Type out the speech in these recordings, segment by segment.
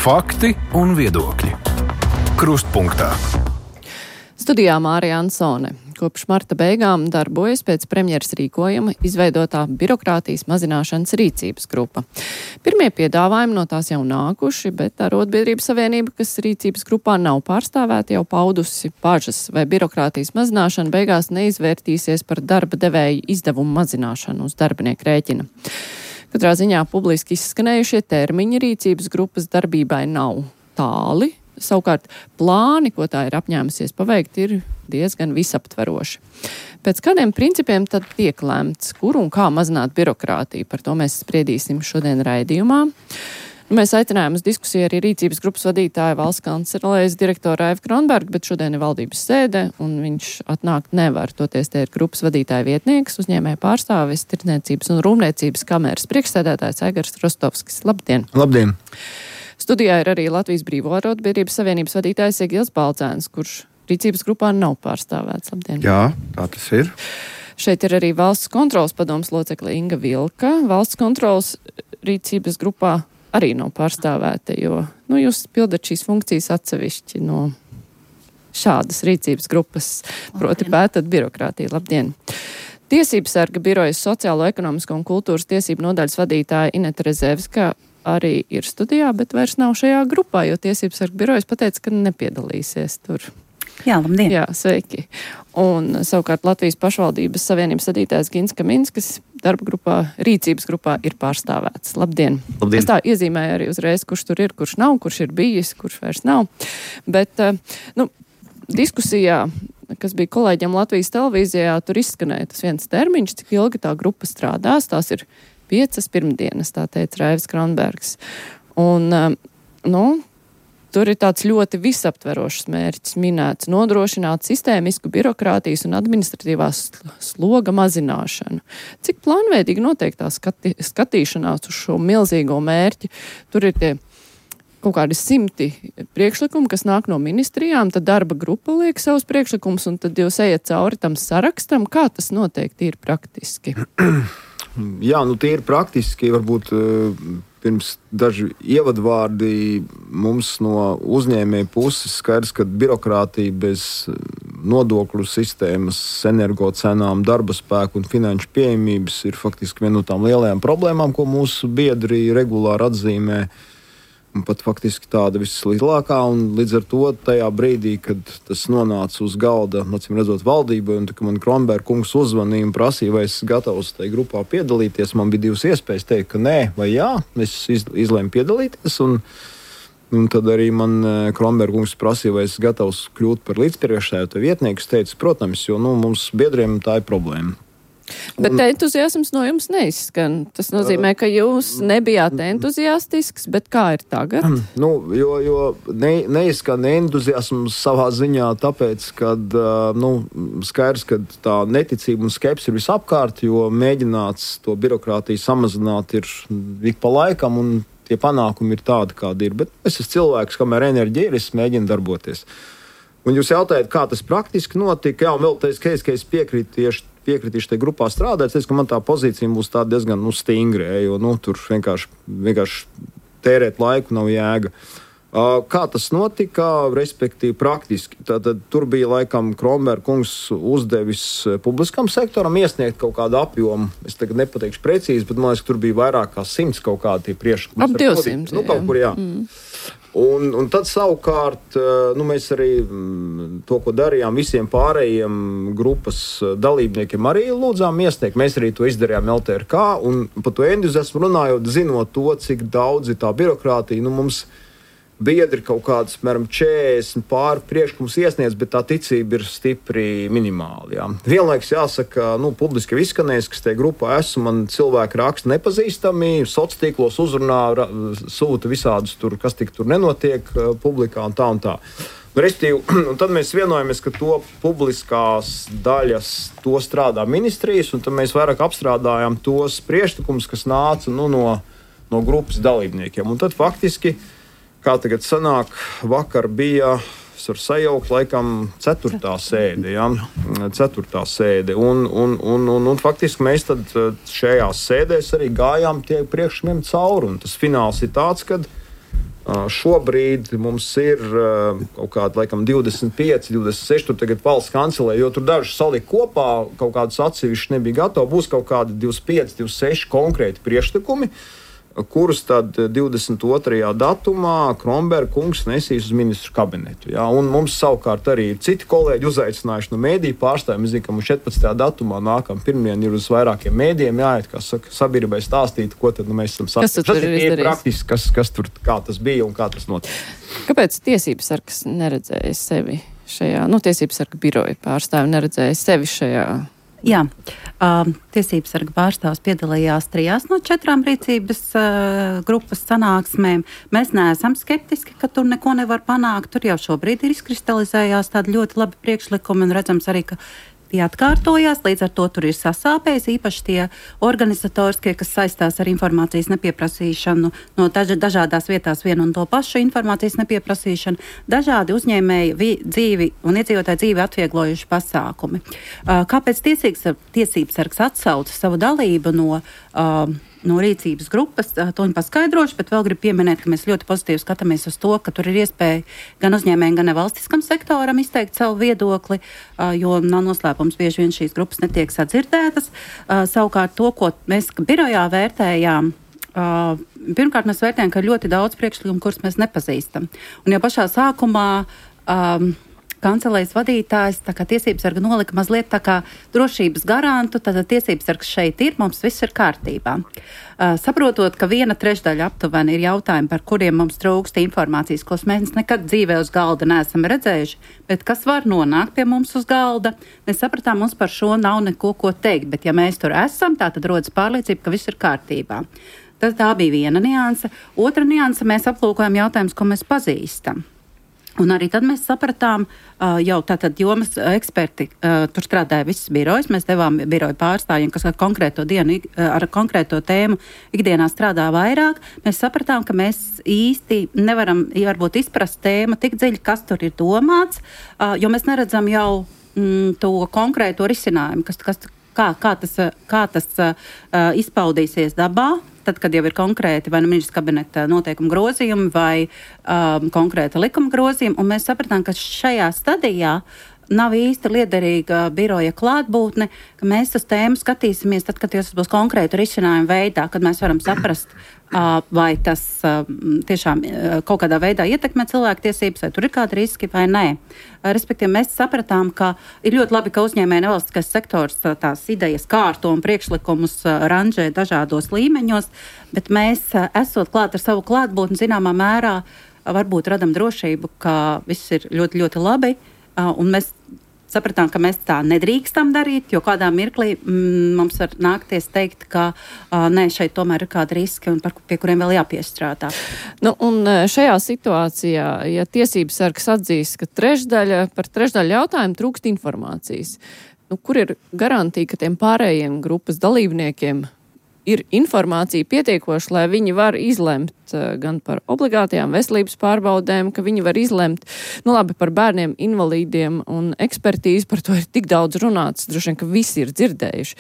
Fakti un viedokļi. Krustpunktā. Studijā Mārija Ansone. Kopš marta beigām darbojas pēc premjeras rīkojuma izveidotā birokrātijas mazināšanas rīcības grupa. Pirmie piedāvājumi no tās jau nākuši, bet Arotbiedrības savienība, kas rīcības grupā nav pārstāvēta, jau paudusi bažas, vai birokrātijas mazināšana beigās neizvērtīsies par darba devēju izdevumu mazināšanu uz darbinieku rēķina. Katrā ziņā publiski izskanējušie termiņi rīcības grupas darbībai nav tāli. Savukārt plāni, ko tā ir apņēmusies paveikt, ir diezgan visaptveroši. Pēc kādiem principiem tad tiek lemts, kur un kā mazināt birokrātiju? Par to mēs spriedīsim šodien raidījumā. Mēs aicinājām uz diskusiju arī rīcības grupas vadītāju valsts kancelējas direktoru Raivu Kronbergu, bet šodien ir valdības sēde, un viņš atnākt nevar. Toties te ir grupas vadītāja vietnieks, uzņēmēja pārstāvis, Tirdzniecības un rūpniecības kameras priekšsēdētājs Aigars Rostovskis. Labdien! Labdien! Studijā ir arī Latvijas Brīvo Arotbiedrības savienības vadītājs Egils Baldzēns, kurš rīcības grupā nav pārstāvēts. Labdien! Jā, tā tas ir. Šeit ir arī valsts kontrolas padomes locekle Inga Vilka. Valsts kontrolas rīcības grupā arī nav pārstāvēta, jo jūs pildat šīs funkcijas atsevišķi no šādas rīcības grupas, proti pētat birokrātiju. Labdien! Tiesības sarga birojas sociālo, ekonomisko un kultūras tiesību nodaļas vadītāja Ineta Rezevska arī ir studijā, bet vairs nav šajā grupā, jo tiesības sarga birojas pateica, ka nepiedalīsies tur. Jā, labdien! Jā, sveiki! Un savukārt Latvijas pašvaldības savienības vadītājs Gins Kaminskas darba grupā, rīcības grupā ir pārstāvēts. Labdien! Labdien! Es tā iezīmēju arī uzreiz, kurš tur ir, kurš nav, kurš ir bijis, kurš vairs nav. Bet, diskusijā, kas bija kolēģiem Latvijas televīzijā, tur izskanēja tas viens termiņš, cik ilgi tā grupa strādās. Tās ir 5 pirmdienas, tā teica Raivs Kronbergs. Un, tur ir tāds ļoti visaptverošs mērķis minēts - nodrošināt sistēmisku birokrātijas un administratīvās sloga mazināšanu. Cik plānveidīgi notiek tā skatīšanās uz šo milzīgo mērķi? Tur ir tie kaut kādi 100 priekšlikumi, kas nāk no ministrijām, tad darba grupa liek savus priekšlikumus, un tad jūs ejat cauri tam sarakstam. Kā tas notiek tīri praktiski? Jā, tīri praktiski, varbūt pirms daži ievadvārdi mums no uzņēmēja puses skaidrs, ka birokrātija bez nodokļu sistēmas, energocenām, darba spēku un finanšu pieejamības ir faktiski viena no tām lielajām problēmām, ko mūsu biedri regulāri atzīmē. Un pat faktiski tāda vislielākā, un līdz ar to tajā brīdī, kad tas nonāca uz galda, acīm redzot, valdībai, un kad man Kronberga kungs uzvanīja un prasīja, vai es gatavs tajā grupā piedalīties, man bija 2 iespējas teikt, ka nē vai jā, es izlēmu piedalīties, un tad arī man Kronberga kungs prasīja, vai es gatavs kļūt par līdzpriekšsēdētāju vietnieku. Es teicu, protams, jo mums biedriem tā ir problēma. Bet entuziasms no jums neizskan. Tas nozīmē, ka jūs nebijāt entuziastisks, bet kā ir tagad? Jo neizskan entuziasms savā ziņā, tāpēc, ka skaidrs, ka tā neticība un skepse ir visapkārt, jo mēģināts to birokrātiju samazināt ir ik pa laikam, un tie panākumi ir tādi, kādi ir. Bet es esmu cilvēks, kamēr enerģija ir, es mēģinu darboties. Un jūs jautājat, kā tas praktiski notika? Jā, un vēl teicu, ka es piekritīšu tajā grupā strādāt. Es teicu, ka man tā pozīcija būs tā diezgan stingra, jo tur vienkārši tērēt laiku nav jēga. Kā tas notika, respektīvi praktiski? Tad tur bija laikam Kronberga kungs uzdevis publiskam sektoram iesniegt kaut kādu apjomu. Es tagad nepateikšu precīzi, bet man liekas, ka tur bija vairāk kā 100 kaut kādi priekšlikumi. Ap 200. Kaut kur, jā. Un tad savukārt mēs arī to, ko darījām, visiem pārējiem grupas dalībniekiem arī lūdzām iesniegt. Mēs arī to izdarījām LTRK, un par to entuziasmu runājot, zinot to, cik daudz ir tā birokrātija, mums biedri kaut kādas, piemēram, 40 pāri priekšlikums iesniedz, bet tā ticība ir stipri minimāla. Jā. Vienlaiks jāsaka, publiski izskanējis, kas tajā grupā esmu, man cilvēki raksta nepazīstami, sociālos tīklos uzrunā, sūta visādus tur, kas tik tur nenotiek publikā un tā un tā. Un tad mēs vienojamies, ka to publiskās daļas, to strādā ministrijas, un tad mēs vairāk apstrādājām tos priekšlikumus, kas nāca no grupas dalībniekiem. Un tad faktiski, kā tagad sanāk, vakar bija, es varu sajaukt, laikam 4. sēde, ja? 4. sēde. Un faktiski mēs tad šajās sēdēs arī gājām tie priekšlikumiem cauri. Un tas fināls ir tāds, kad Šobrīd mums ir kaut kādi, laikam, 25, 26, tur tagad valsts kancelē, jo tur daži salika kopā, kaut kādus atsevišķi nebija gatavi, būs kaut kādi 25, 26 konkrēti priekšlikumi, kurus tad 22. datumā Kronberga kungs nesīs uz ministru kabinetu. Ja? Un mums savukārt arī citi kolēģi uzaicinājuši no mēdīju pārstāvjiem. Mēs zinām, ka mums 14. datumā nākamā pirmdien ir uz vairākiem mēdījiem jāiet, kā saka, sabiedrībai stāstīt, ko tad mēs esam sasniegti. Tas ir praktiski, kas tur, kā tas bija un kā tas notika. Kāpēc tiesības sargs neredzēja sevi šajā, tiesības sarga biroja pārstāvi neredzēja sevi šajā? Jā, tiesības sarga pārstāvs piedalījās 3 no 4 rīcības grupas sanāksmēm. Mēs neesam skeptiski, ka tur neko nevar panākt. Tur jau šobrīd ir izkristalizējās tādi ļoti labi priekšlikumi un redzams arī, ka tie atkārtojās, līdz ar to tur ir sasāpējis, īpaši tie organizatoriskie, kas saistās ar informācijas nepieprasīšanu, no dažādās vietās vienu un to pašu informācijas nepieprasīšanu, dažādi uzņēmēji dzīvi un iedzīvotāju dzīvi atvieglojuši pasākumi. Kāpēc tiesības sargs atsauca savu dalību no rīcības grupas, to viņi paskaidroši, bet vēl gribu pieminēt, ka mēs ļoti pozitīvi skatāmies uz to, ka tur ir iespēja gan uzņēmējiem, gan nevalstiskam sektoram izteikt savu viedokli, jo nav noslēpums, bieži vien šīs grupas netiek sadzirdētas. Savukārt to, ko mēs birojā vērtējām, pirmkārt mēs vērtējam, ka ir ļoti daudz priekšlikumu, kurus mēs nepazīstam. Un jau pašā sākumā kancelējas vadītājs, tā kā tiesības sarga nolika mazliet tā kā drošības garantu, tad tiesības sargs šeit ir, mums viss ir kārtībā. Saprotot, ka 1/3 aptuveni ir jautājumi, par kuriem mums trūkst informācijas, ko mēs nekad dzīvē uz galda neesam redzējuši, bet kas var nonākt pie mums uz galda, mēs sapratām, mums par šo nav neko ko teikt, bet ja mēs tur esam, tā tad rodas pārliecība, ka viss ir kārtībā. Tā bija viena nianse. Otra nianse, mēs aplūkojam jautājumus, ko mēs pazīstam. Un arī tad mēs sapratām, jau tātad jomas eksperti, tur strādāja visas birojas, mēs devām biroju pārstāvjiem, kas ar konkrēto dienu, ar konkrēto tēmu ikdienā strādā vairāk. Mēs sapratām, ka mēs īsti nevaram varbūt izprast tēmu tik dziļi, kas tur ir domāts, jo mēs neredzam jau to konkrēto risinājumu, kā tas izpaudīsies dabā. Tad, kad jau ir konkrēti vai ministrs kabineta noteikuma grozījumi vai konkrēta likuma grozījumi, un mēs sapratām, ka šajā stadijā nav īsti liederīga biroja klātbūtne, ka mēs uz tēmu skatīsimies tad, kad tas būs konkrētu risinājumu veidā, kad mēs varam saprast, vai tas tiešām kaut kādā veidā ietekmē cilvēktiesības, vai tur ir kādi riski vai nē. Respektīvi, mēs sapratām, ka ir ļoti labi, ka uzņēmēja nevalstiskais sektors tās idejas kārto un priekšlikumus ranžē dažādos līmeņos, bet mēs, esot klāt ar savu klātbūtni, zināmā mērā varbūt radam drošību, ka viss ir ļoti, ļoti labi, un mēs sapratām, ka mēs tā nedrīkstam darīt, jo kādā mirklī mums var nākties teikt, ka nē, šeit tomēr ir kādi riski, un pie kuriem vēl jāpiestrādā. Un šajā situācijā, ja tiesības sargs atzīst, ka par trešdaļu jautājumu trūkst informācijas, kur ir garantija, ka tiem pārējiem grupas dalībniekiem ir informācija pietiekoša, lai viņi var izlemt gan par obligātajām veselības pārbaudēm, ka viņi var izlemt, par bērniem, invalīdiem un ekspertīzi, par to ir tik daudz runāts, droši vien, ka visi ir dzirdējuši.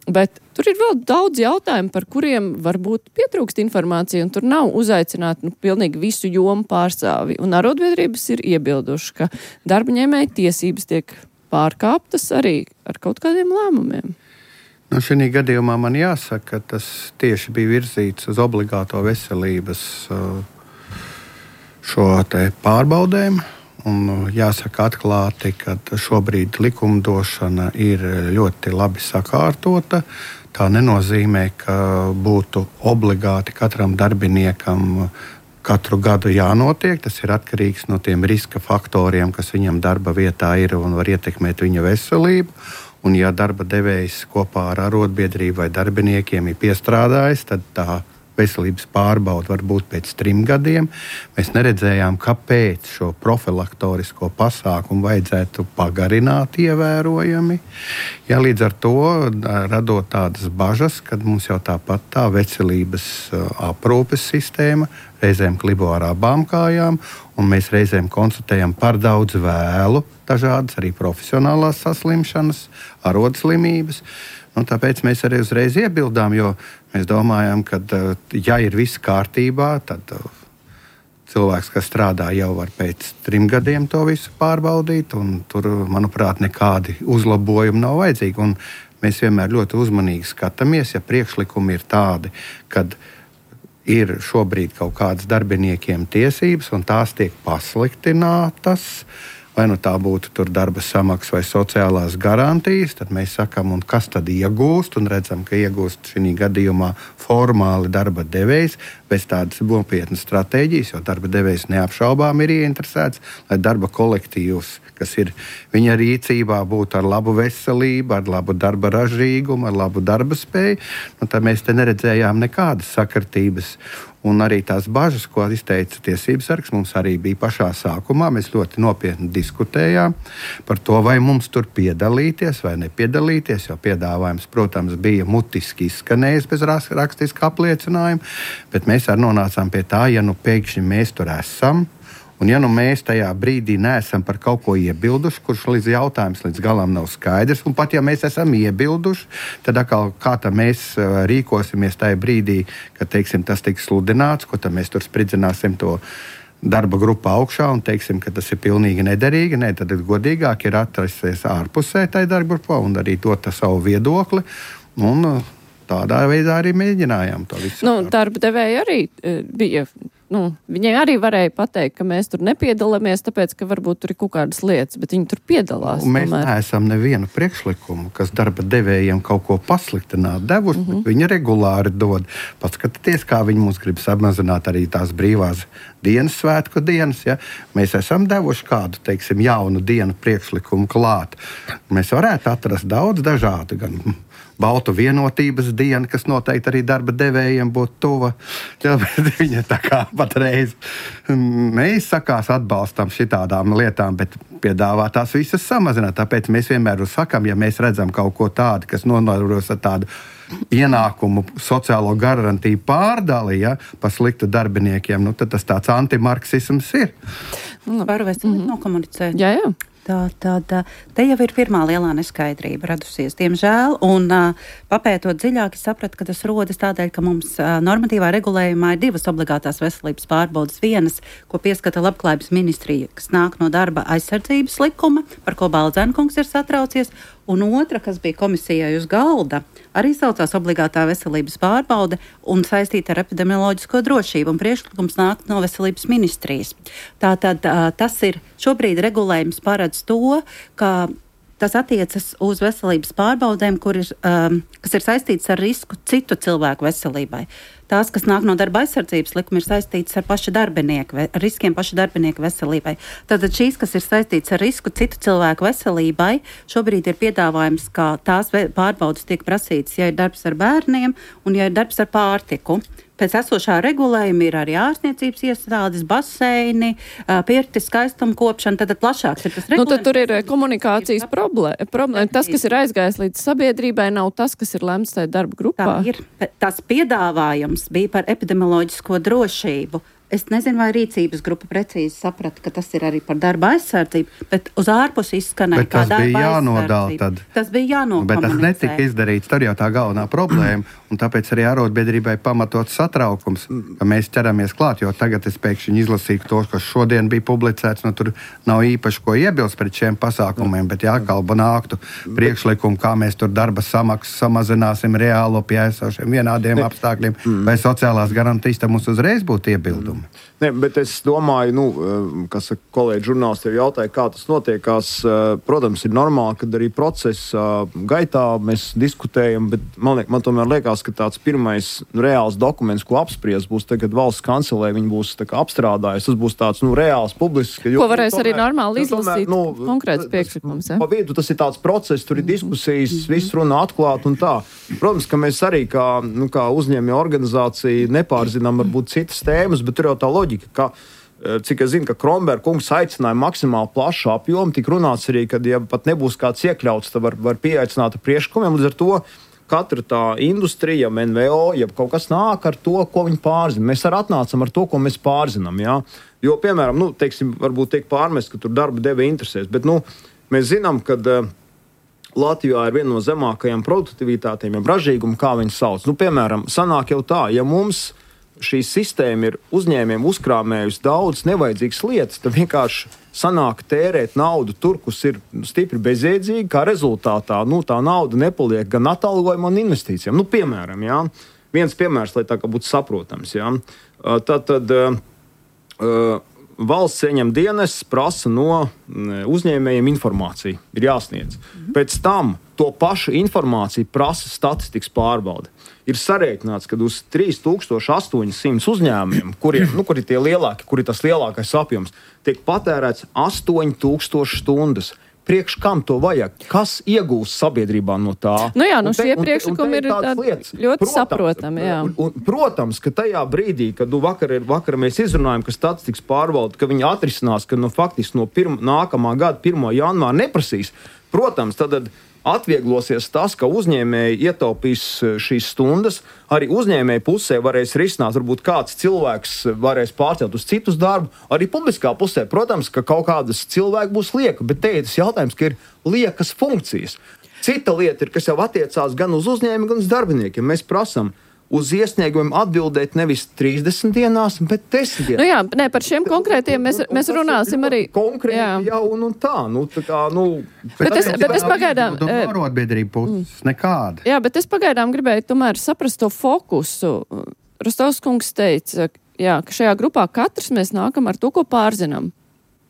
Bet tur ir vēl daudz jautājumu, par kuriem varbūt pietrūkst informācija, un tur nav uzaicināti pilnīgi visu jomu pārstāvi. Un arotbiedrības ir iebilduši, ka darba ņēmēja tiesības tiek pārkāptas arī ar kaut kādiem lēmumiem. Šī gadījumā man jāsaka, ka tas tieši bija virzīts uz obligāto veselības šo te pārbaudēm. Un jāsaka atklāti, ka šobrīd likumdošana ir ļoti labi sakārtota. Tā nenozīmē, ka būtu obligāti katram darbiniekam katru gadu jānotiek. Tas ir atkarīgs no tiem riska faktoriem, kas viņam darba vietā ir un var ietekmēt viņa veselību. Un, ja darba devējs kopā ar arotbiedrību vai darbiniekiem ir piestrādājis, tad tā veselības pārbaude var būt pēc 3 gadiem. Mēs neredzējām, kāpēc šo profilaktorisko pasākumu vajadzētu pagarināt ievērojami. Ja, līdz ar to radot tādas bažas, kad mums jau tāpat tā veselības aprūpes sistēma reizēm klibo ar abām kājām, un mēs reizēm konstatējam par daudz vēlu dažādas arī profesionālās saslimšanas, arodslimības. Tāpēc mēs arī uzreiz iebildām, jo mēs domājam, ka, ja ir viss kārtībā, tad cilvēks, kas strādā, jau var pēc 3 gadiem to visu pārbaudīt, un tur, manuprāt, nekādi uzlabojumi nav vajadzīgi. Un mēs vienmēr ļoti uzmanīgi skatāmies, ja priekšlikumi ir tādi, kad ir šobrīd kaut kādas darbiniekiem tiesības, un tās tiek pasliktinātas, vai nu tā būtu tur darba samaksa vai sociālās garantijas, tad mēs sakam, un kas tad iegūst, un redzam, ka iegūst šī gadījumā formāli darba devējs, bez tādas nopietnas stratēģijas, jo darba devējs neapšaubām ir ieinteresēts, lai darba kolektīvs, kas ir viņa rīcībā, būtu ar labu veselību, ar labu darba ražīgumu, ar labu darba spēju. Tad mēs te neredzējām nekādas sakartības. Un arī tās bažas, ko izteica tiesības sargs, mums arī bija pašā sākumā. Mēs ļoti nopietni diskutējām par to, vai mums tur piedalīties vai nepiedalīties, jo piedāvājums, protams, bija mutiski izskanējis bez rakstiska apliecinājuma, bet mēs arī nonācām pie tā, ja nu pēkšņi mēs tur esam, un ja nu mēs tajā brīdī neesam par kaut ko iebilduši, kurš jautājums līdz galam nav skaidrs, un pat ja mēs esam iebilduši, tad atkal kā tā mēs rīkosimies tajā brīdī, kad, teiksim, tas tiks sludināts, ko tad mēs tur spridzināsim to darba grupā augšā un teiksim, ka tas ir pilnīgi nederīgi. Nē, tad godīgāk ir atrasties ārpusē tajā darba grupā un arī dot savu viedokli. Un tādā veidā arī mēģinājām to visu. Darba devēji arī bija. Viņai arī varēja pateikt, ka mēs tur nepiedalāmies, tāpēc, ka varbūt tur ir kaut kādas lietas, bet viņi tur piedalās. Mēs neesam nevienu priekšlikumu, kas darba devējiem kaut ko pasliktināt devuši, bet viņi regulāri dod. Paskatieties, kā viņi mums grib samazināt arī tās brīvās dienas, svētku dienas. Ja? Mēs esam devuši kādu, teiksim, jaunu dienu priekšlikumu klāt. Mēs varētu atrast daudz dažādu, gan Baltu vienotības diena, kas noteikti arī darba devējiem būtu tuva. Viņa tā kā patreiz neizsakās atbalstam šitādām lietām, bet piedāvā tās visas samazināt. Tāpēc mēs vienmēr sakam, ja mēs redzam kaut ko tādu, kas nodarbojas ar tādu ienākumu sociālo garantiju pārdali, ja, pa sliktu darbiniekiem, tad tas tāds antimarksisms ir. Varu vēstīt nokomunicēt. Jā. Te jau ir pirmā lielā neskaidrība radusies, diemžēl, un papētot dziļāk, es sapratu, ka tas rodas tādēļ, ka mums normatīvā regulējumā ir 2 obligātās veselības pārbaudas. Vienas, ko pieskata Labklājības ministrija, kas nāk no darba aizsardzības likuma, par ko Baldzenkungs ir satraucies, un otra, kas bija komisijai uz galda, arī saucās obligātā veselības pārbaude un saistīta ar epidemioloģisko drošību, un priekšlikums nāk no veselības ministrijas. Tātad tas ir šobrīd regulējums paredz to, ka tas attiecas uz veselības pārbaudēm, kas ir saistītas ar risku citu cilvēku veselībai. Tās, kas nāk no darba aizsardzības likuma, ir saistītas ar riskiem paša darbinieka veselībai. Tātad šīs, kas ir saistītas ar risku citu cilvēku veselībai, šobrīd ir piedāvājums, ka tās pārbaudas tiek prasītas, ja ir darbs ar bērniem un ja ir darbs ar pārtiku. Pēc esošā regulējuma ir arī ārstniecības iestādes, baseini, pirti, skaistumkopšana, tad plašāks ir tas regulējums. Tad tur ir komunikācijas problēma. Tas, kas ir aizgājis līdz sabiedrībai, nav tas, kas ir lemts tajā darba grupā. Tā ir. Tas piedāvājums bija par epidemioloģisko drošību. Es nezinu, vai rīcības grupa precīzi saprata, ka tas ir arī par darba aizsardzību, bet uz ārpusi izskanēja kā darba aizsardzība. Tas bija jānokomunicē. Bet tas netika izdarīts, tur jau tā galvenā problēma, un tāpēc arī arotbiedrībai pamatot satraukums, ka mēs ķeramies klāt, jo tagad es pēkšņi izlasīju to, kas šodien bija publicēts, tur nav īpaši ko iebilst pret šiem pasākumiem, bet jākalba nāktu priekšlikumu, kā mēs tur darba samaksu samazināsim reālo pie esošiem vienādiem apstākļiem, vai sociālās garantijas, tad mums uzreiz būtu iebildumi. Ne, bet es domāju, kas kolēģi žurnālisti jau jautāja, kā tas notiekās. Protams, ir normāli, kad arī procesa gaitā mēs diskutējam, bet man tomēr liekas, ka tāds pirmais reāls dokuments, ko apspriest, būs tagad valsts kancelē, viņi būs apstrādājis. Tas būs tāds reāls publisks. Ko varēs arī normāli izlasīt konkrēts priekšlikums. Pa vidu tas ir tāds process, tur ir diskusijas, viss runā atklāt un tā. Protams, ka mēs arī kā uzņēmēju organizācija nepārzinām varbūt citas tēmas, bet tur jau tā loģika, ka, cik es zinu, ka Kromberga kungs aicināja maksimāli plašu apjomu, tik runāts arī, ka, ja pat nebūs kāds iekļauts, tad var pieaicināt ar priekšlikumiem, līdz ar to katra tā industrija, NVO, ja kaut kas nāk ar to, ko viņi pārzina. Mēs arī atnācam ar to, ko mēs pārzinām, jā. Jo, piemēram, varbūt tiek pārmest, ka tur darba devēja interesēs, bet, mēs zinām, ka Latvijā ir viena no zemākajām produktivitātēm, ja ražīgumu, kā viņi sauc. Piemēram, sanāk jau tā, ja mums šī sistēma ir uzņēmiem uzkrāmējusi daudz nevajadzīgas lietas, tad vienkārši sanāk tērēt naudu tur, kas ir stipri bezjēdzīgi, kā rezultātā tā nauda nepaliek gan atalgojumam, gan investīcijām. Piemēram, viens piemērs, lai tā kā būtu saprotams. Tad valsts ieņem dienas, prasa no uzņēmējiem informāciju, ir jāsniedz. Pēc tam to pašu informāciju prasa statistikas pārbaude. Ir sarēķināts, ka uz 3800 uzņēmumiem, kuri ir tie lielāki, kur ir tas lielākais apjoms, tiek patērēts 8000 stundas. Priekš kam to vajag? Kas iegūst sabiedrībā no tā? Šie priekšlikumi ir ļoti saprotami. Protams, ka tajā brīdī, kad vakar mēs izrunājam, ka statistikas pārvalde, ka viņi atrisinās, ka faktiski no nākamā gada 1. janvāra neprasīs, protams, tad atvieglosies tas, ka uzņēmēji ietaupīs šīs stundas, arī uzņēmēji pusē varēs risināt, varbūt kāds cilvēks varēs pārcelt uz citus darbu, arī publiskā pusē, protams, ka kaut kādas cilvēki būs lieka, bet te ir tas jautājums, ka ir liekas funkcijas. Cita lieta ir, kas jau attiecās gan uz uzņēmēju, gan uz darbiniekiem. Mēs prasam uz iesniegumiem atbildēt nevis 30 dienās, bet 10 dienās. Par šiem konkrētiem mēs runāsim arī. Konkrēti jau tā. Bet es pagaidām. Arotbiedrība puses nekāda. Jā, bet es pagaidām gribēju tomēr saprast to fokusu. Rostovs kungs teica, ka šajā grupā katrs mēs nākam ar to, ko pārzinām.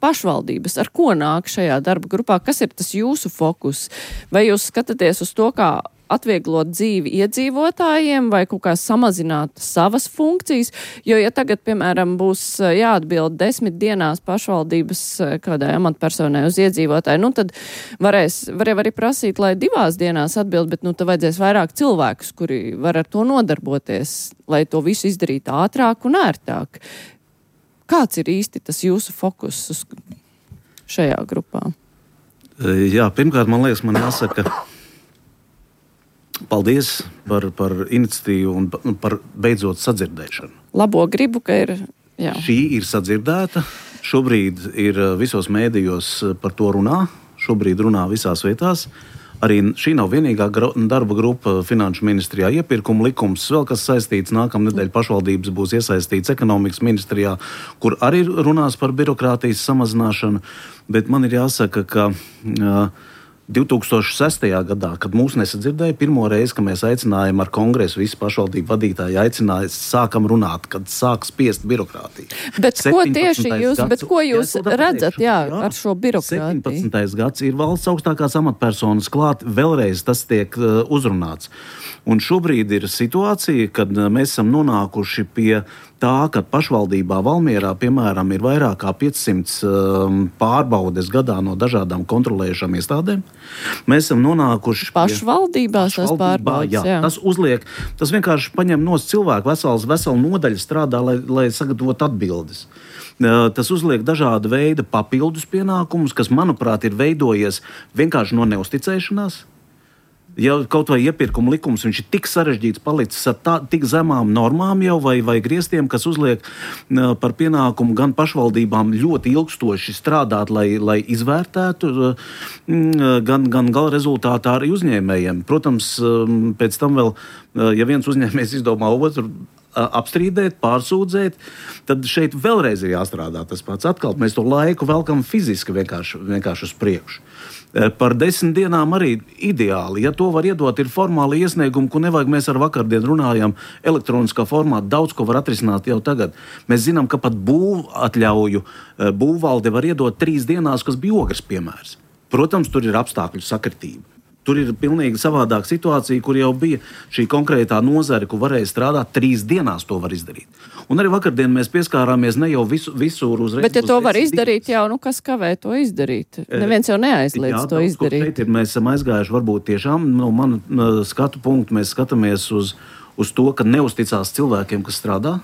Pašvaldības, ar ko nāk šajā darba grupā? Kas ir tas jūsu fokus? Vai jūs skatāties uz to, kā atvieglot dzīvi iedzīvotājiem vai kaut kā samazināt savas funkcijas, jo ja tagad, piemēram, būs jāatbild 10 dienās pašvaldības kādai amatpersonai uz iedzīvotāju, tad varēs arī prasīt, lai 2 dienās atbild, bet tad vajadzēs vairāk cilvēkus, kuri var ar to nodarboties, lai to visu izdarītu ātrāk un ērtāk. Kāds ir īsti tas jūsu fokus šajā grupā? Jā, pirmkārt, man liekas, man jāsaka paldies par iniciatīvu un par beidzot sadzirdēšanu. Labo gribu, ka ir. Jā. Šī ir sadzirdēta. Šobrīd ir visos mēdījos par to runā. Šobrīd runā visās vietās. Arī šī nav vienīgā darba grupa Finanšu ministrijā. Iepirkuma likums, vēl kas saistīts, nākamnedēļ pašvaldības būs iesaistīts ekonomikas ministrijā, kur arī runās par birokrātijas samazināšanu. Bet man ir jāsaka, ka 2006. gadā, kad mūs nesadzirdēja, pirmo reizi, kad mēs aicinājām ar kongresu, visi pašvaldību vadītāji aicināja, sākam runāt, kad sāk spiest birokrātiju. Bet ko tieši jūs redzat ar šo birokrātiju? 17. gads ir valsts augstākās amatpersonas klāt, vēlreiz tas tiek uzrunāts. Un šobrīd ir situācija, kad mēs esam nonākuši pie tā, ka pašvaldībā Valmierā, piemēram, ir vairāk kā 500 pārbaudes gadā no dažādām kontrolējušām iestādēm. Mēs esam nonākuši pašvaldībās tās pārbaudes. Jā. Tas vienkārši paņem no cilvēku veselu nodaļu strādā, lai sagatavotu atbildes. Tas uzliek dažāda veida papildus pienākumus, kas, manuprāt, ir veidojies vienkārši no neusticēšanās. Ja kaut vai iepirkuma likums, viņš ir tik sarežģīts palicis ar tik zemām normām jau vai griestiem, kas uzliek par pienākumu gan pašvaldībām ļoti ilgstoši strādāt, lai izvērtētu, gan gala rezultātā arī uzņēmējiem. Protams, pēc tam vēl, ja viens uzņēmējs izdomā otru apstrīdēt, pārsūdzēt, tad šeit vēlreiz ir jāstrādā tas pats. Atkal mēs to laiku velkam fiziski vienkārši uz priekšu. Par 10 dienām arī ideāli. Ja to var iedot, ir formāli iesniegumi, ko nevajag. Mēs ar vakardienu runājām elektroniskā formā. Daudz ko var atrisināt jau tagad. Mēs zinām, ka pat būvatļauju būvvalde var iedot 3 dienās, kas bija Ogres piemērs. Protams, tur ir apstākļu sakritība. Tur ir pilnīgi savādāka situācija, kur jau bija šī konkrētā nozare, kur varēja strādāt 3 dienās to var izdarīt. Un arī vakardien mēs pieskārāmies ne jau visur uzreiz. Bet ja to var izdarīt jau, kas kavē to izdarīt? Neviens jau neaizliedz to izdarīt. Mēs esam aizgājuši varbūt tiešām, no mana skatu punktu mēs skatāmies uz to, ka neusticās cilvēkiem, kas strādā.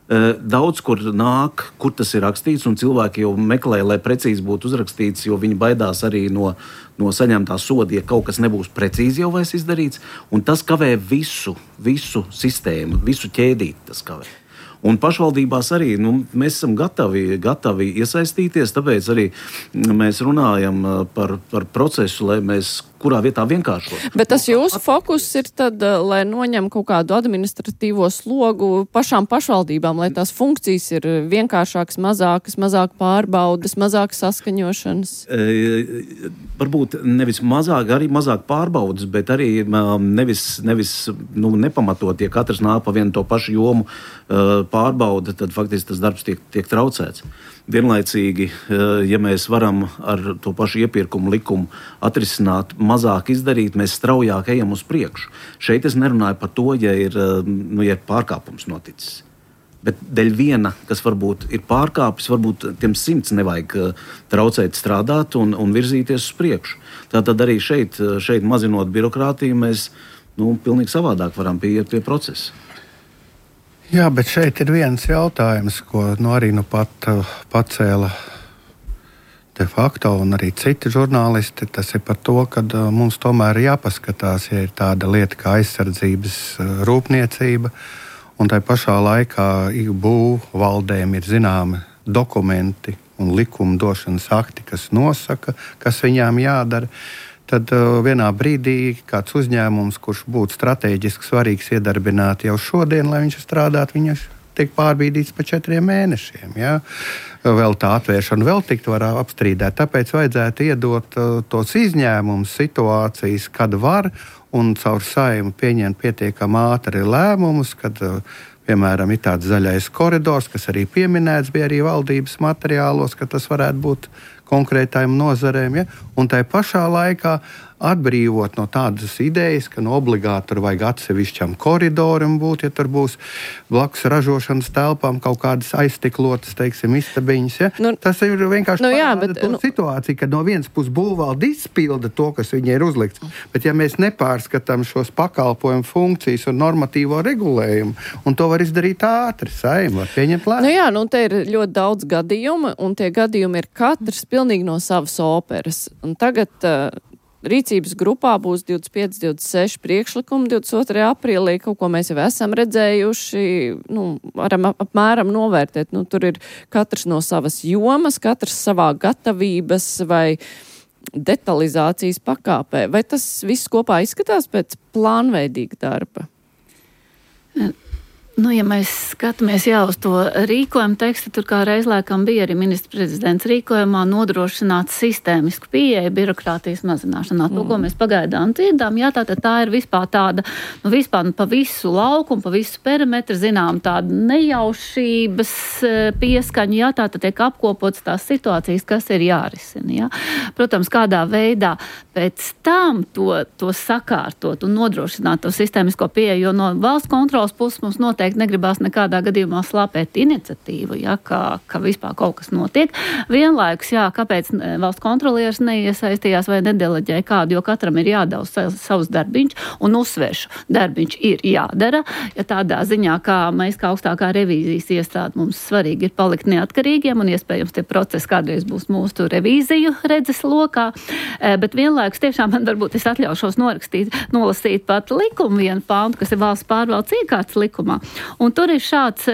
Daudz, kur nāk, kur tas ir rakstīts, un cilvēki jau meklē, lai precīzi būtu uzrakstīts, jo viņi baidās arī no saņemtā soda, ja kaut kas nebūs precīzi jau vairs izdarīts, un tas kavē visu sistēmu, visu ķēdīti tas kavē. Un pašvaldībās arī mēs esam gatavi iesaistīties, tāpēc arī mēs runājam par procesu, lai mēs kurā vietā vienkāršot. Bet tas jūsu fokus ir tad, lai noņem kaut kādu administratīvo slogu pašām pašvaldībām, lai tās funkcijas ir vienkāršākas, mazāk pārbaudas, mazāk saskaņošanas? Varbūt nevis mazāk pārbaudas, bet arī nevis nepamatot, ja katrs nāk pa vienu to pašu jomu pārbauda, tad faktiski tas darbs tiek traucēts. Vienlaicīgi, ja mēs varam ar to pašu iepirkumu likumu atrisināt, mazāk izdarīt, mēs straujāk ejam uz priekšu. Šeit es nerunāju par to, ja ir pārkāpums noticis. Bet dēļ viena, kas varbūt ir pārkāpis, varbūt tiem 100 nevajag traucēt strādāt un virzīties uz priekšu. Tātad arī šeit mazinot birokrātiju, mēs pilnīgi savādāk varam pieiet pie procesa. Jā, bet šeit ir viens jautājums, ko arī pat pacēla de facto un arī citi žurnālisti. Tas ir par to, ka mums tomēr ir jāpaskatās, ja ir tāda lieta kā aizsardzības rūpniecība, un tai pašā laikā būvu valdēm ir zināmi dokumenti un likumdošanas akti, kas nosaka, kas viņām jādara. Tad vienā brīdī kāds uzņēmums, kurš būtu strateģiski svarīgs iedarbināt jau šodien, lai viņš strādātu, viņš tiek pārbīdīts pa 4 mēnešiem. Ja? Vēl tā atvēršana vēl tikt var apstrīdēt. Tāpēc vajadzētu iedot tos izņēmumus situācijas, kad var un caur Saeimu pieņemt pietiekami ātri lēmumus, kad piemēram ir tāds zaļais koridors, kas arī pieminēts bija arī valdības materiālos, ka tas varētu būt konkrētām nozarēm, ja? Un tai pašā laikā atbrīvot no tādas idejas, ka obligāti tur vajag atsevišķam koridoram būt, ja tur būs blakus ražošanas telpām kaut kādas aizstiklotas, istabiņas. Ja? Tas ir vienkārši situācija, kad no vienas puses būvvalde izpilda to, kas viņai ir uzlikts. Bet ja mēs nepārskatām šos pakalpojumu funkcijas un normatīvo regulējumu, un to var izdarīt ātri, Saeima var pieņemt lēmumu. Te ir ļoti daudz gadījumu, un tie gadījumi ir katrs pilnīgi no savas operas. Un tagad rīcības grupā būs 25, 26 priekšlikumi 22. aprīlī, kaut ko mēs jau esam redzējuši, varam apmēram novērtēt. Tur ir katrs no savas jomas, katrs savā gatavības vai detalizācijas pakāpē. Vai tas viss kopā izskatās pēc plānveidīga darba? Ja mēs skatāmies uz to rīkojumu tekstu, tur kā reizlēkam bija arī ministra prezidents rīkojumā nodrošināt sistēmisku pieeju birokrātijas mazināšanā. To, ko mēs pagaidām dzirdām, tātad tā ir vispār tāda, pa visu laukumu, pa visu perimetru, zinām, tāda nejaušības pieskaņa, tātad tiek apkopots tās situācijas, kas ir jārisina. Protams, kādā veidā pēc tam to sakārtot un nodrošināt to sistēmisko pieeju, jo no valsts kontrolas puses mums noteikti negribās nekādā gadījumā slāpēt iniciatīvu, ka vispār kaut kas notiek. Vienlaikus, kāpēc valsts kontrolieris neiesaistījās vai nedeleģēja kādu, jo katram ir jādara savs darbiņš, un uzsvēršu, darbiņš ir jādara, tādā ziņā, kā mēs kā augstākā revīzijas iestāde mums svarīgi ir palikt neatkarīgiem, un iespējams tie procesi kādreiz būs mūsu revīziju redzes lokā, bet vienlaikus tiešām man varbūt es atļaušos nolasīt pat likumu vienu pāntu, kas ir valsts pārvaldes iekārtas likumā. Un tur ir šāds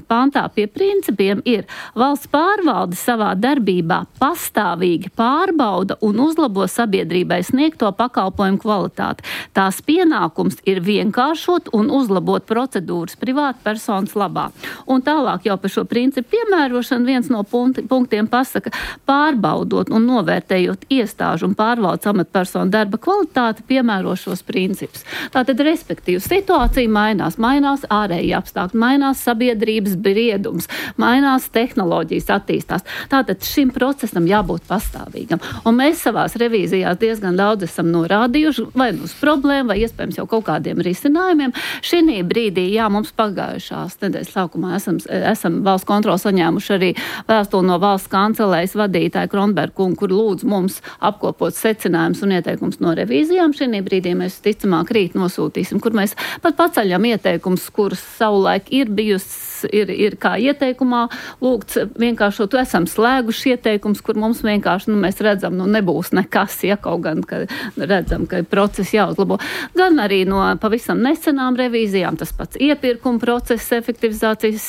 pantā pie principiem ir valsts pārvalde savā darbībā pastāvīgi pārbauda un uzlabo sabiedrībai sniegto pakalpojumu kvalitāti. Tās pienākums ir vienkāršot un uzlabot procedūras privāta personas labā. Un tālāk jau par šo principu piemērošanu viens no punktiem pasaka, pārbaudot un novērtējot iestāžu un pārvaldes amatpersonu darba kvalitāti, piemēro šos principus. Tātad, respektīvi, situācija mainās ārēji apstākļi, mainās sabiedrības briedums, mainās tehnoloģijas attīstās. Tātad šim procesam jābūt pastāvīgam. Un mēs savās revīzijās diezgan daudz esam norādījuši vai uz problēmu, vai iespējams jau kaut kādiem risinājumiem. Šī brīdī, mums pagājušās nedēļas sākumā esam valsts kontroli saņēmuši arī vēstuli no valsts kancelējas vadītāja Kronberga, kur lūdz mums apkopot secinājumus un ieteikumus no revīzijām. Šī brīdī mēs ticamāk rīt nosūtīsim, kur mēs pat paceļam ieteikumus kuras savulaik ir bijusi, ir kā ieteikumā lūgts vienkāršot, esam slēguši ieteikums, kur mums vienkārši, mēs redzam, nebūs nekas, ja kaut gan, ka redzam, ka procesi jāuzlabo. Gan arī no pavisam nesenām revīzijām, tas pats iepirkuma procesa efektivizācijas,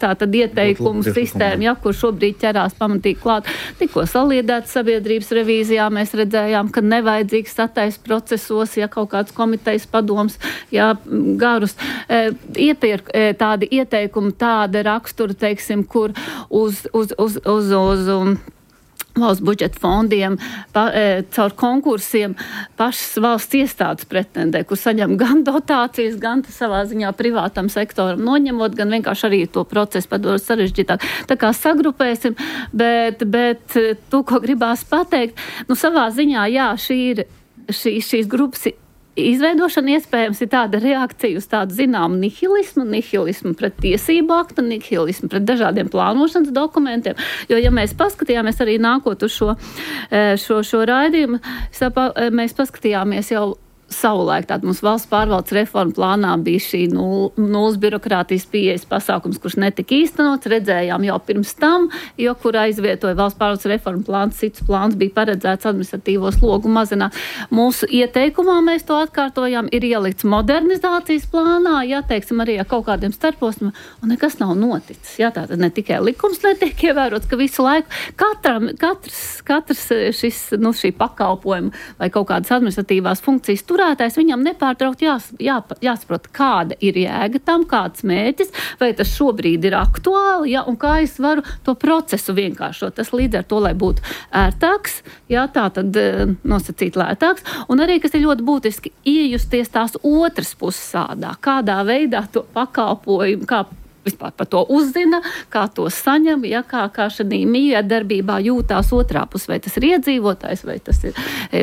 tad ieteikumu sistēma, kur šobrīd ķerās pamatīgi klāt. Tikko saliedētas sabiedrības revīzijā mēs redzējām, ka nevajadzīgs sataisa procesos, kaut kāds komitejas padoms, garus. Tādi ieteikumi, tāda rakstura, teiksim, kur uz valsts budžeta fondiem, caur konkursiem pašas valsts iestādes pretendē, kur saņem gan dotācijas, gan savā ziņā privātam sektoram noņemot, gan vienkārši arī to procesu padarot sarežģītāk. Tā kā sagrupēsim, bet to, ko gribās pateikt, savā ziņā, šīs grupas izveidošana iespējams ir tāda reakcija uz tādu zināmu nihilismu pret tiesību aktu, nihilismu pret dažādiem plānošanas dokumentiem, jo, ja mēs paskatījāmies arī nākot uz šo raidījumu, mēs paskatījāmies jau savulaik, tātad mums valsts pārvaldes reforma plānā bija šī nulles birokrātijas pieejas pasākums, kurš netika īstenots, redzējām jau pirms tam, jo kur aizvietoja valsts pārvaldes reforma plāns, cits plāns bija paredzēts administratīvo slogu mazināt. Mūsu ieteikumā mēs to atkārtojām, ir ielikts modernizācijas plānā, teiksim arī ar kaut kādiem starposmiem, un nekas nav noticis. Tātad ne tikai likums netiek ievērots, ka visu laiku katrs šī pakalpojuma vai kaut kādas administratīvās funkcijas turētājs, viņam nepārtraukt jāsaprot, kāda ir jēga tam, kāds mērķis, vai tas šobrīd ir aktuāli, un kā es varu to procesu vienkāršot. Tas līdz ar to, lai būtu ērtāks, tā tad nosacīt lētāks, un arī, kas ir ļoti būtiski, iejusties tās otras puses sādā, kādā veidā to pakalpojumu, kā vispār par to uzzina, kā to saņem, kā šādī miedarbībā jūtās otrā puse, vai tas ir iedzīvotājs, vai tas ir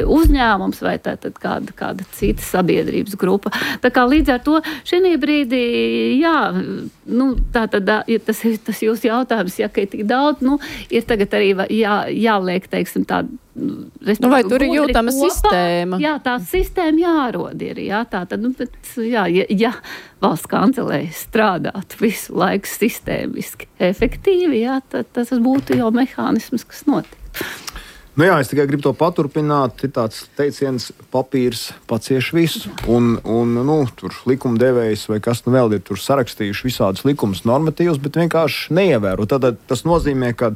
uzņēmums, vai tātad kāda cita sabiedrības grupa. Tā kā līdz ar to šī brīdī, tātad, ja tas ir tas jūsu jautājums, ka ir tik daudz, ir tagad arī jāliek, teiksim, tāda vai tur ir jūtama sistēma? Tā sistēma jārod ir. Ja valsts kancelēja strādātu visu laiku sistēmiski, efektīvi, tad tas būtu jau mehānisms, kas notiek. Es tikai gribu to paturpināt. Ir tāds teiciens, papīrs pacieš visu. Un tur likumdevējs vai kas vēl ir tur sarakstījuši visādus likumus, normatīvus, bet vienkārši neievēro. Tad tas nozīmē, ka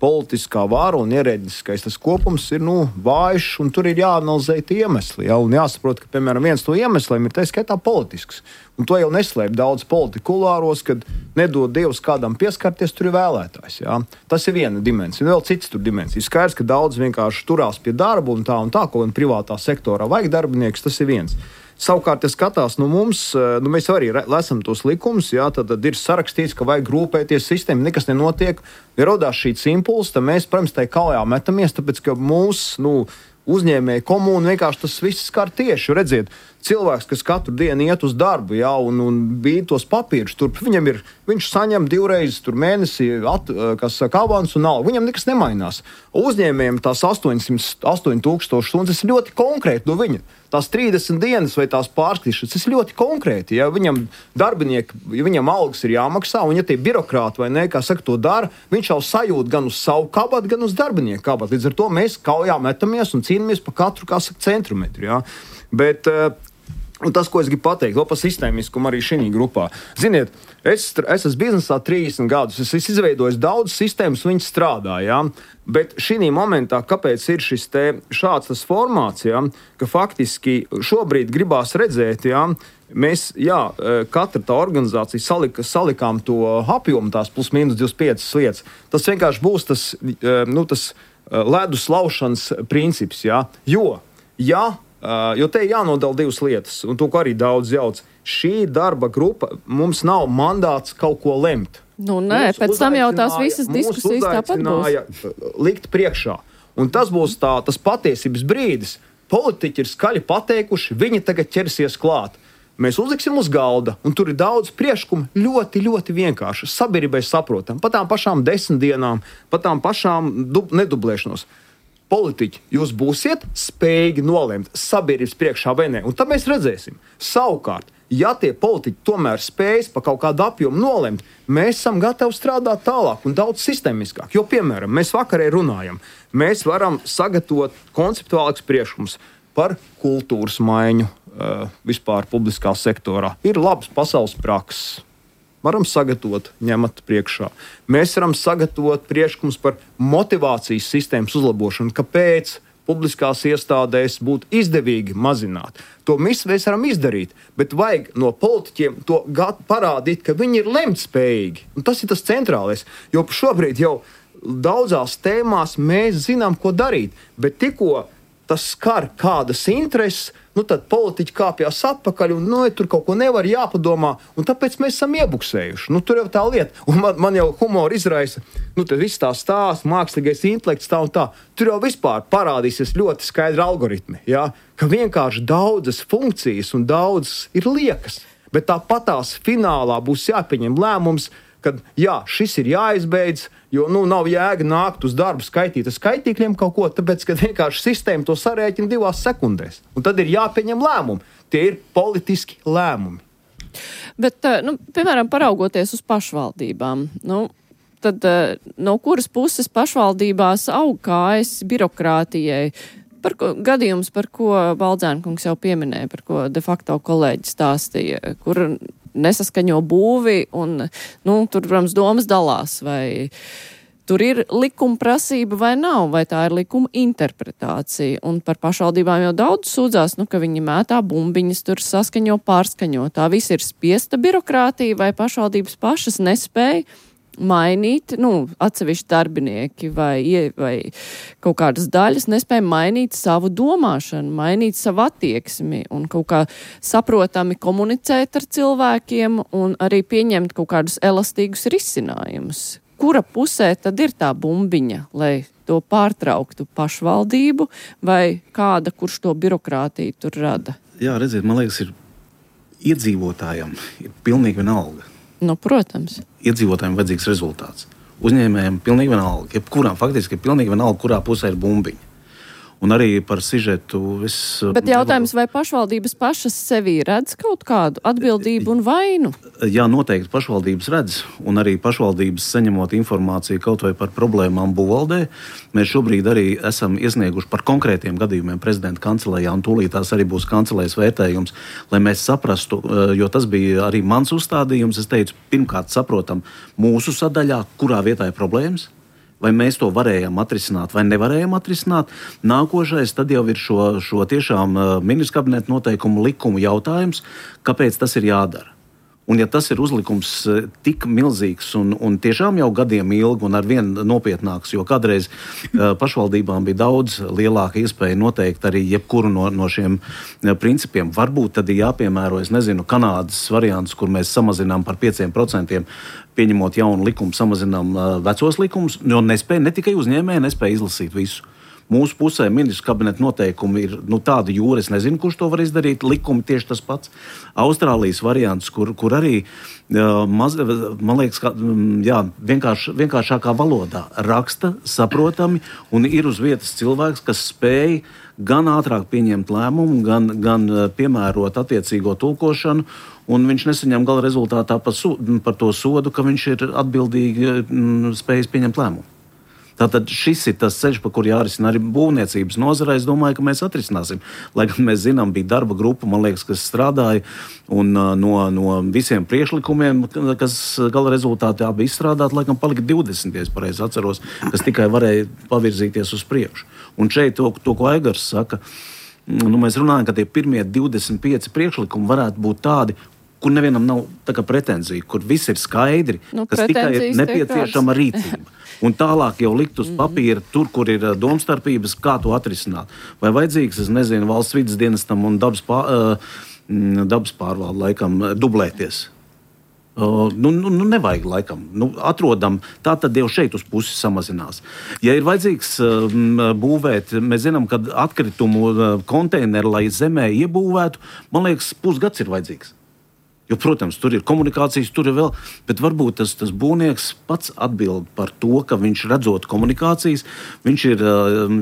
politiskā vara un ierēdniskais tas kopums ir vājš, un tur ir jāanalizē tie iemesli. Un jāsaprot, ka, piemēram, viens no iemesliem ir tā skaitā politisks. Un to jau neslēp daudz politikulāros, kad nedod Dievs kādam pieskarties, tur ir vēlētājs. Tas ir viena dimensija. Vēl cits tur dimensija. Skaidrs, ka daudz vienkārši turās pie darba un tā, ko gan privātā sektorā vajag darbinieks, tas ir viens. Savukārt, ja skatās mums, mēs arī lasām tos likumus, tad ir sarakstīts, ka vajag rūpēties sistēmu, nekas nenotiek. Ja rodās šīs impulss, tad mēs, protams, tai kaujā metamies, tāpēc, ka mūsu uzņēmēju komūnu vienkārši tas viss skar tieši. Redziet, cilvēks, kas katru dienu iet uz darbu, un bīd tos papīrus, viņš saņem 2 reizes mēnesī, avans un algu. Viņam nekas nemainās. Uzņēmējiem tās 8,000 stundas ir ļoti konkrēti no viņa. Tās 30 dienas vai tās pārskatīšanas, tas ir ļoti konkrēti. Ja viņam darbinieki, viņam algas ir jāmaksā, un ja tie birokrāti vai ne, kā saka, to dara, viņš jau sajūt gan uz savu kabatu, gan uz darbinieku kabatu. Līdz ar to mēs kaujā metamies un cīnāmies par katru, kā saka, centimetru. Ja? Bet un tas, ko es gribu pateikt, vēl par sistēmiskumu arī šī grupā. Ziniet, es esmu biznesā 30 gadus, es izveidoju daudz sistēmas, viņas strādā, bet šī momentā, kāpēc ir šāds tas formāts, ka faktiski šobrīd gribās redzēt, mēs, katra tā organizācija salikām to apjomu, tās plus mīnus 25 lietas. Tas vienkārši būs tas ledus laušanas princips, jo te ir jānodala 2 lietas, un to, ko arī daudz jauc. Šī darba grupa, mums nav mandāts kaut ko lemt. Pēc tam jau tās visas diskusijas tāpat būs. Likt priekšā. Un tas būs tas patiesības brīdis. Politiķi ir skaļi pateikuši, viņi tagad ķersies klāt. Mēs uzliksim uz galda, un tur ir daudz priekšlikumu, ļoti, ļoti vienkārši. Sabiedrībai saprotam, pa tām pašām 10 dienām, pa tām pašām nedublēšanos. Politiķi, jūs būsiet spējīgi nolemt sabiedrības priekšā vai ne, un tad mēs redzēsim. Savukārt, Ja tie politiķi tomēr spējas pa kaut kādu apjomu nolemt, mēs esam gatavi strādāt tālāk un daudz sistēmiskāk. Jo, piemēram, mēs vakarē runājam, mēs varam sagatavot konceptuālākus priekšlikumus par kultūras maiņu vispār publiskā sektorā. Ir labs pasaules prakses. Varam sagatavot, ņemat priekšā. Mēs varam sagatavot priekšlikumus par motivācijas sistēmas uzlabošanu, kāpēc publiskās iestādēs būtu izdevīgi mazināt. To mēs varam izdarīt, bet vajag no politiķiem to parādīt, ka viņi ir lemtspējīgi. Un tas ir tas centrālais, jo šobrīd jau daudzās tēmās mēs zinām, ko darīt, bet tikko tas skar kādas intereses, tad politiķi kāpjās atpakaļ un tur kaut ko nevar jāpadomā, un tāpēc mēs esam iebuksējuši. Tur jau tā lieta, un man jau humori izraisa, tad viss tā stāsts, mākslīgais intelekts tā un tā. Tur jau vispār parādīsies ļoti skaidri algoritmi, ja? Ka vienkārši daudzas funkcijas un daudzas ir liekas, bet tāpatās finālā būs jāpieņem lēmums, kad šis ir jāizbeidz, jo nav jēga nākt uz darbu skaitīt ar skaitīkļiem kaut ko, tāpēc, ka vienkārši sistēma to sarēķina 2 sekundēs. Un tad ir jāpieņem lēmumi. Tie ir politiski lēmumi. Bet, piemēram, paraugoties uz pašvaldībām, tad no kuras puses pašvaldībās aug kājas birokrātijai? Gadījums, par ko Baldzēnkungs jau pieminēja, par ko de facto kolēģi stāstīja, kur nesaskaņo būvi un, tur, protams, domas dalās, vai tur ir likuma prasība vai nav, vai tā ir likuma interpretācija. Un par pašvaldībām jau daudz sūdzās, ka viņi mētā bumbiņas, tur saskaņo, pārskaņo. Tā viss ir spiesta birokrātija, vai pašvaldības pašas nespēja mainīt, atsevišķi darbinieki vai kaut kādas daļas nespēja mainīt savu domāšanu, mainīt savu attieksmi un kaut kā saprotami komunicēt ar cilvēkiem un arī pieņemt kaut kādus elastīgus risinājumus. Kura pusē tad ir tā bumbiņa, lai to pārtrauktu pašvaldību vai kāda, kurš to birokrātiju tur rada? Jā, redziet, man liekas, ir iedzīvotājiem ir pilnīgi vienalga. Protams. Iedzīvotājiem vajadzīgs rezultāts. Uzņēmējiem pilnīgi vienalga. Jebkurām faktiski ir pilnīgi vienalga, kurā pusē ir bumbiņa. Un arī par sižetu Bet jautājums, vai pašvaldības pašas sevī redz kaut kādu atbildību un vainu? Jā, noteikti pašvaldības redz. Un arī pašvaldības saņemot informāciju kaut vai par problēmām būvvaldē. Mēs šobrīd arī esam iesnieguši par konkrētiem gadījumiem prezidenta kancelējā, un tūlīt tās arī būs kancelējas vērtējums, lai mēs saprastu, jo tas bija arī mans uzstādījums. Es teicu, pirmkārt saprotam mūsu sadaļā, kurā vietā ir problēmas. Vai mēs to varējām atrisināt vai nevarējām atrisināt. Nākošais tad jau ir šo tiešām ministru kabineta noteikumu likumu jautājums, kāpēc tas ir jādara. Un ja tas ir uzlikums tik milzīgs un tiešām jau gadiem ilgi un arvien nopietnāks, jo kādreiz pašvaldībām bija daudz lielāka iespēja noteikt arī jebkuru no šiem principiem. Varbūt tad ir jāpiemēro, Kanādas variants, kur mēs samazinām par 5%, pieņemot jaunu likumu, samazinām vecos likumus, jo ne tikai uzņēmēji nespēja izlasīt visu. Mūsu pusē ministru kabineta noteikumi ir tāda jūra, es nezinu, kurš to var izdarīt. Likumi tieši tas pats. Austrālijas variants, kur arī, man liekas, vienkāršākā valodā raksta, saprotami, un ir uz vietas cilvēks, kas spēj gan ātrāk pieņemt lēmumu, gan piemērot attiecīgo tulkošanu, un viņš nesaņem gala rezultātā par to sodu, ka viņš ir atbildīgi spējis pieņemt lēmumu. Tātad šis ir tas ceļš, pa kur jārisina arī būvniecības nozarē. Es domāju, ka mēs atrisināsim. Lai gan mēs zinām, bija darba grupa, man liekas, kas strādāja, un no visiem priekšlikumiem, kas gala rezultātā bija izstrādāti, laikam palika 20, ja es pareizi atceros, kas tikai varēja pavirzīties uz priekšu. Un šeit to ko Aigars saka, mēs runājam, ka tie pirmie 25 priekšlikumi varētu būt tādi, kur nevienam nav pretenzija, kur viss ir skaidri, kas tikai ir nepieciešama rīcība. Un tālāk jau likt uz papīra, tur, kur ir domstarpības, kā to atrisināt. Vai vajadzīgs, valsts vides dienestam un dabas pārvalde laikam dublēties? Nevajag laikam. Atrodam, tā tad jau šeit uz pusi samazinās. Ja ir vajadzīgs būvēt, mēs zinām, ka atkritumu konteineru, lai zemē iebūvētu, man liekas, pusgads ir vajadzīgs. Jo, protams, tur ir komunikācijas, tur ir vēl, bet varbūt tas būvnieks pats atbild par to, ka viņš redzot komunikācijas, viņš ir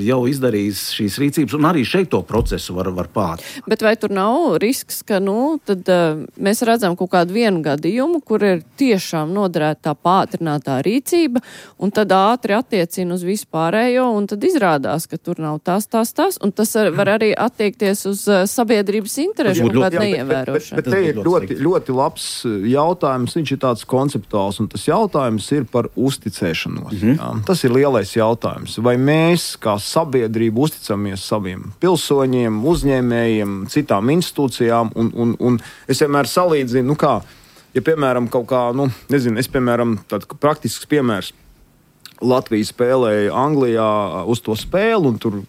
jau izdarījis šīs rīcības, un arī šeit to procesu var pāt. Bet vai tur nav risks, ka, tad mēs redzam kaut kādu vienu gadījumu, kur ir tiešām noderēta tā pātrinātā rīcība, un tad ātri attiecina uz vispārējo, un tad izrādās, ka tur nav tas, un tas var arī attiekties uz sabiedrības interešu un kādu neievērošanu. Bet te ir ļoti labs jautājums, viņš ir tāds konceptuāls, un tas jautājums ir par uzticēšanos. Jā. Tas ir lielais jautājums. Vai mēs, kā sabiedrība, uzticamies saviem pilsoņiem, uzņēmējiem, citām institūcijām, un es vienmēr salīdzinu, ja, piemēram, kaut kā, es, piemēram, tāds praktisks piemērs, Latvija spēlēja Anglijā uz to spēli, un tur,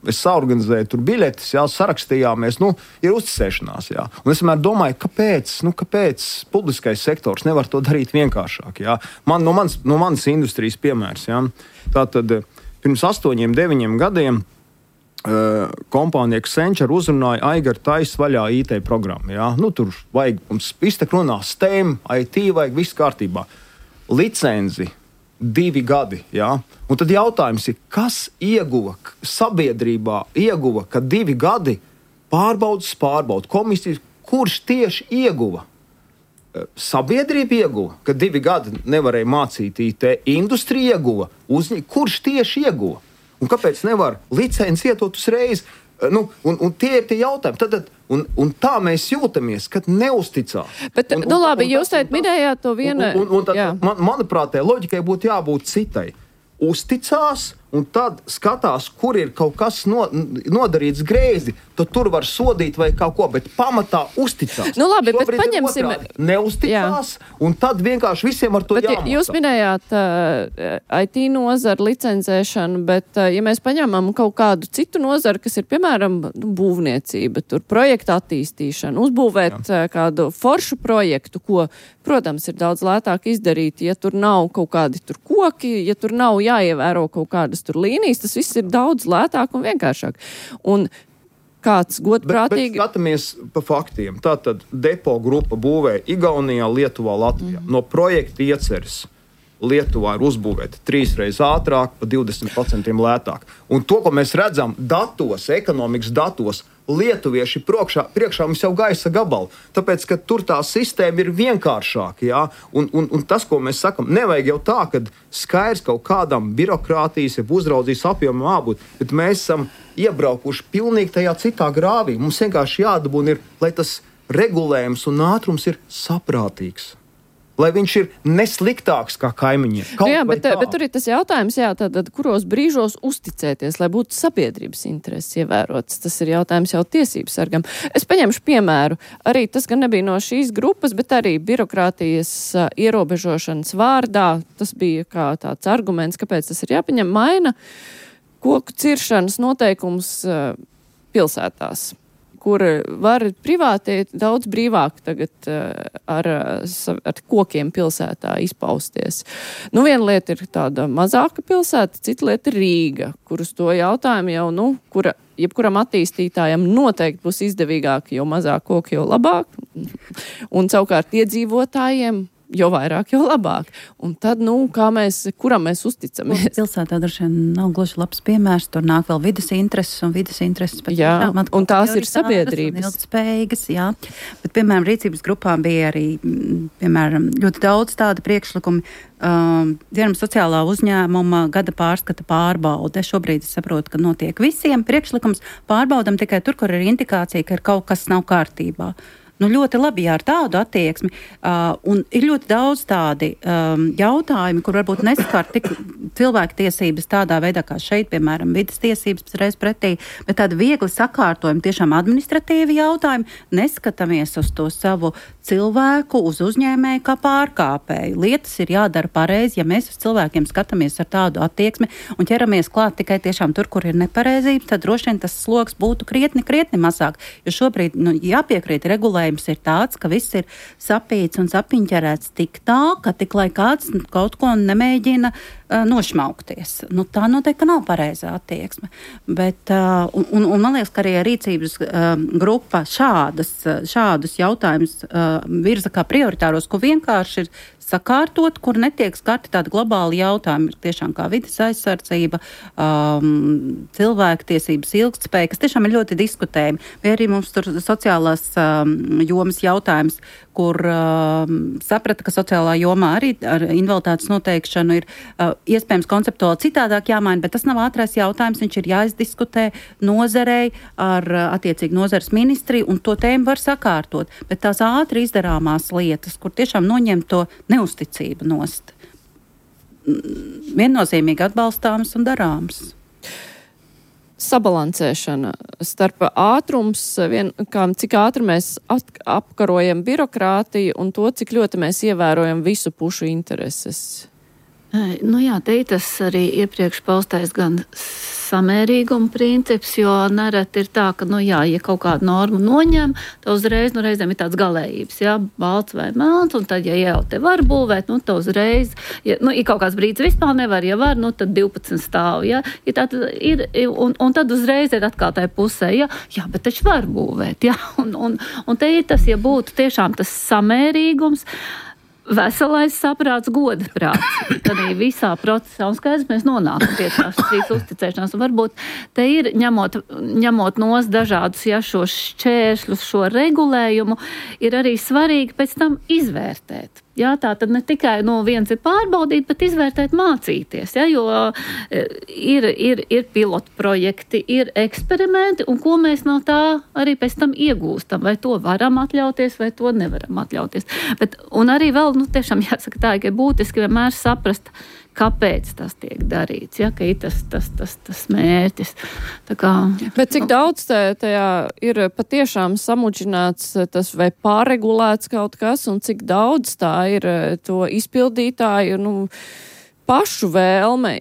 es saorganizēju tur biļetes, sarakstījāmies, ir uzticēšanās, Un es vienmēr domāju, kāpēc publiskais sektors nevar to darīt vienkāršāk, No manas industrijas piemērs, Tātad pirms 8-9 gadiem kompānija Accenture uzrunāja Aigar taisa vaļā IT programmu, Tur vajag mums iztek runā STEM, IT, vajag viss kārtībā. Licenzi 2 gadi, Un tad jautājums ir, kas sabiedrībā ieguva, ka 2 gadi pārbauda komisijas, kurš tieši ieguva? Sabiedrība ieguva, ka 2 gadi nevarēja mācīt IT, industrija ieguva, kurš tieši ieguva? Un kāpēc nevar licenci ietot uzreiz? Un tie ir tie jautājumi. Un tā mēs jūtamies, kad neusticās. Bet, labi, jūs teikt minējāt to vienu. Manuprāt, tai loģikai būtu jābūt citai. Uzticās, un tad skatās, kur ir kaut kas nodarīts greizi, tad tur var sodīt vai kaut ko, bet pamatā uzticās. Labi, bet paņemsim. Neusticās, un tad vienkārši visiem ar to jāmācā. Jūs minējāt IT nozaru, licencēšanu, bet ja mēs paņemam kaut kādu citu nozaru, kas ir, piemēram, būvniecība, tur projekta attīstīšana, uzbūvēt kādu foršu projektu, ko, protams, ir daudz lētāk izdarīt, ja tur nav kaut kādi tur koki, ja tur nav jāievēro kaut kādas tur līnijas, tas viss ir daudz lētāk un vienkāršāk. Un kāds godprātīgi... Bet skatāmies pa faktiem. Tātad depo grupa būvē Igaunijā, Lietuvā, Latvijā. No projekta ieceres Lietuvā ir uzbūvēta 3 reizes ātrāk, pa 20% lētāk. Un to, ko mēs redzam datos, ekonomikas datos, lietuvieši priekšā mums jau gaisa gabali, tāpēc, ka tur tā sistēma ir vienkāršāka, un tas, ko mēs sakam, nevajag jau tā, kad skaidrs kaut kādam birokrātijas, ja uzraudzīs apjomam jābūt, bet mēs esam iebraukuši pilnīgi tajā citā grāvī. Mums vienkārši jādabūna ir, lai tas regulējums un ātrums ir saprātīgs. Lai viņš ir nesliktāks kā kaimiņiem. Bet tur ir tas jautājums, tad kuros brīžos uzticēties, lai būtu sabiedrības intereses ievērotas. Tas ir jautājums jau tiesības sargam. Es paņemšu piemēru. Arī tas gan nebija no šīs grupas, bet arī birokrātijas ierobežošanas vārdā. Tas bija kā tāds arguments, kāpēc tas ir jāpaņem. Maina koku ciršanas noteikums pilsētās, kur var privāti daudz brīvāk tagad ar kokiem pilsētā izpausties. Viena lieta ir tāda mazāka pilsēta, cita lieta ir Rīga, kur uz to jautājumu jau, kura jebkuram attīstītājam noteikti būs izdevīgāk, jo mazāk koki, jo labāk. Un savukārt iedzīvotājiem jo vairāk, jo labāk. Un tad, kuram mēs uzticamies? Pilsētā droši vien nav gluži labs piemērs, tur nāk vēl vides intereses, un vides intereses pat un tās ir sabiedrības. Ilgtspējīgas, Bet, piemēram, rīcības grupā bija arī, piemēram, ļoti daudz tāda priekšlikumi. Piemēram, sociālā uzņēmuma gada pārskata pārbaude. Šobrīd es saprotu, ka notiek visiem priekšlikums. Pārbaudam tikai tur, kur ir indikācija, ka ir kaut kas nav kārtībā. Ļoti labi, ar tādu attieksmi. Un ir ļoti daudz tādi jautājumi, kur varbūt neskar tik cilvēku tiesības tādā veidā, kā šeit, piemēram, vidas tiesības reiz pretī, bet tādi viegli sakārtojumi, tiešām administratīvi jautājumi, neskatāmies uz to savu cilvēku, uz uzņēmēju kā pārkāpēju. Lietas ir jādara pareizi, ja mēs uz cilvēkiem skatāmies ar tādu attieksmi un ķeramies klāt tikai tiešām tur, kur ir nepareizība, tad droši vien tas sloks būtu krietni mazāk. Jo šobrīd jāpiekrīt regulējums ir tāds, ka viss ir sapīts un sapiņķerēts tik tā, ka tik lai kāds kaut ko nemēģina nošmaukties. Tā noteikti nav pareizā attieksme. Bet, un man liekas, ka arī rīcības grupa šādus jautājumus virza kā prioritāros, ko vienkārši ir sakārtot, kur netiek skarti tādi globāli jautājumi, ir tiešām kā vides aizsardzība, cilvēktiesības, ilgtspēja, kas tiešām ir ļoti diskutējami. Vai arī mums tur sociālās jomas jautājums, kur saprata, ka sociālā jomā arī ar invaliditātes noteikšanu ir iespējams konceptuāli citādāk jāmaina, bet tas nav ātrais jautājums, viņš ir jāizdiskutē nozarei ar attiecīgi nozares ministriju, un to tēmu var sakārtot. Bet tās ātri izdarāmās lietas, kur tiešām noņem to neusticību nost, viennozīmīgi atbalstāmas un darāmas. Sabalansēšana starp ātrums, cik ātri mēs apkarojam birokrātiju un to, cik ļoti mēs ievērojam visu pušu intereses. Nu jā, te ir tas arī iepriekš paustais gan samērīguma princips, jo nereti ir tā, ka, ja kaut kādu normu noņem, tad uzreiz, reizēm ir tāds galējības, balts vai melns, un tad, ja jau te var būvēt, tad uzreiz, ja kaut kāds brīdis vispār nevar, ja var, tad 12 stāv, un tad uzreiz ir atkal tai pusē, bet taču var būvēt, un te ir tas, ja būtu tiešām tas samērīgums, veselais saprāts, goda prāts. Tad visā procesā, un skaidrs, mēs nonākam pie tās trīs uzticēšanās. Un varbūt te ir, ņemot nos dažādus šos šķēršļus, šo regulējumu, ir arī svarīgi pēc tam izvērtēt. Tā tad ne tikai viens ir pārbaudīt, bet izvērtēt, mācīties, jo ir pilotu projekti, ir eksperimenti, un ko mēs no tā arī pēc tam iegūstam, vai to varam atļauties, vai to nevaram atļauties. Un arī vēl, tiešām jāsaka tā, ka ir būtiski vienmēr saprast, kāpēc tas tiek darīts, ka ir tas mērķis. Bet cik daudz tajā ir patiešām samudžināts tas vai pārregulēts kaut kas, un cik daudz tā ir to izpildītāju pašu vēlme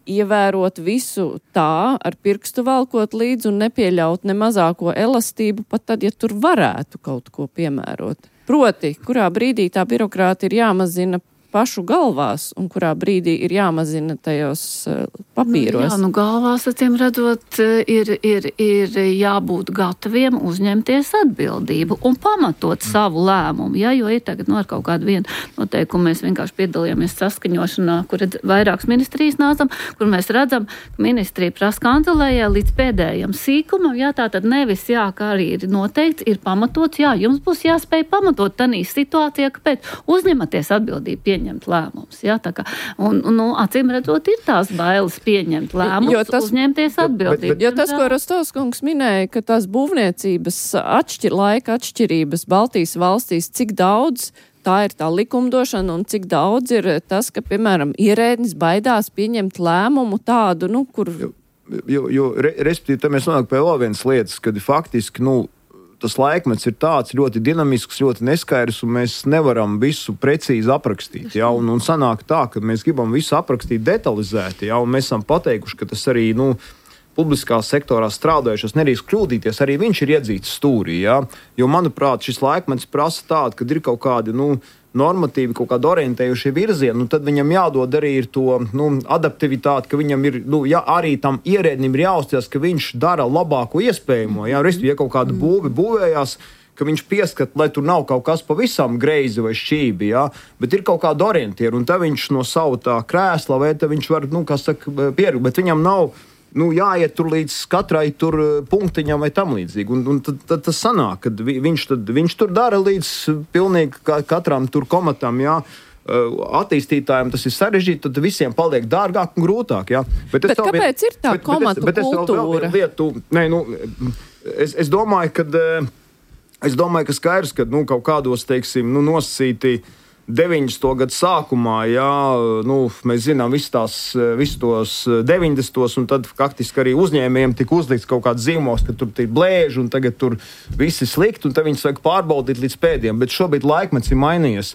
ievērot visu tā, ar pirkstu valkot līdzi un nepieļaut ne mazāko elastību, pat tad, ja tur varētu kaut ko piemērot. Proti, kurā brīdī tā birokrāti ir jāmazina pašu galvās, un kurā brīdī ir jāmazina tajos papīros. Galvās, acīm redzot, ir jābūt gataviem uzņemties atbildību un pamatot savu lēmumu, jo ir tagad ar kaut kādu vienu noteikumu mēs vienkārši piedalījāmies saskaņošanā, kur vairākas ministrijas nācam, kur mēs redzam, ka ministrija prasa kancelējai līdz pēdējam sīkumam, tā tad nevis, kā arī ir noteikts, ir pamatots, jums būs jāspēj pamatot tanī situācijā, kāpēc uzņematies atbildību pieņemt lēmumus. Acīm redzot, ir tās bailes pieņemt lēmumus, uzņemties atbildību. Jo tas, ko Rostovs kungs minēja, ka tās būvniecības laika atšķirības Baltijas valstīs, cik daudz tā ir tā likumdošana un cik daudz ir tas, ka, piemēram, ierēdnis baidās pieņemt lēmumu tādu, kur... Respektīvi, te mēs nonāk pie vēl vienas lietas, kad faktiski, tas laikmets ir tāds ļoti dinamisks, ļoti neskaidrs, un mēs nevaram visu precīzi aprakstīt. Un sanāk tā, ka mēs gribam visu aprakstīt detalizēti, un mēs esam pateikuši, ka tas arī publiskā sektorā strādājušas nedrīkst kļūdīties, arī viņš ir iedzīts stūrī. Jo, manuprāt, šis laikmets prasa tādu, kad ir kaut kādi normatīvi, kaut kādi orientējušie virzieni, tad viņam jādod arī ir to adaptivitāti, ka viņam ir, arī tam ierēdnim ir jāuzticas, ka viņš dara labāko iespējamo. Ja kaut kāda būvējās, ka viņš pieskat, lai tur nav kaut kas pavisam greizi vai šķībi, bet ir kaut kāda orientiera, un tad viņš no savu tā krēsla, vai tad viņš var, pieru, bet viņam nav jāiet tur līdz katrai tur punktiņam vai tam līdzīgi. Un tad tas sanāk, kad viņš tur dara līdz pilnīgi katram tur komatam, attīstītājiem tas ir sarežģīti, tad visiem paliek dārgāk un grūtāk. Bet kāpēc ir tā komatu kultūra? Es domāju, ka skaidrs, ka kaut kādos, teiksim, nosacīti 90. gadu sākumā, mēs zinām visus tos 90. un tad faktiski arī uzņēmējiem tika uzlikts kaut kāds zīmols, ka tur ir blēži un tagad tur viss ir slikti un tad viņus vajag pārbaudīt līdz pēdējiem. Bet šobrīd laikmets ir mainījies.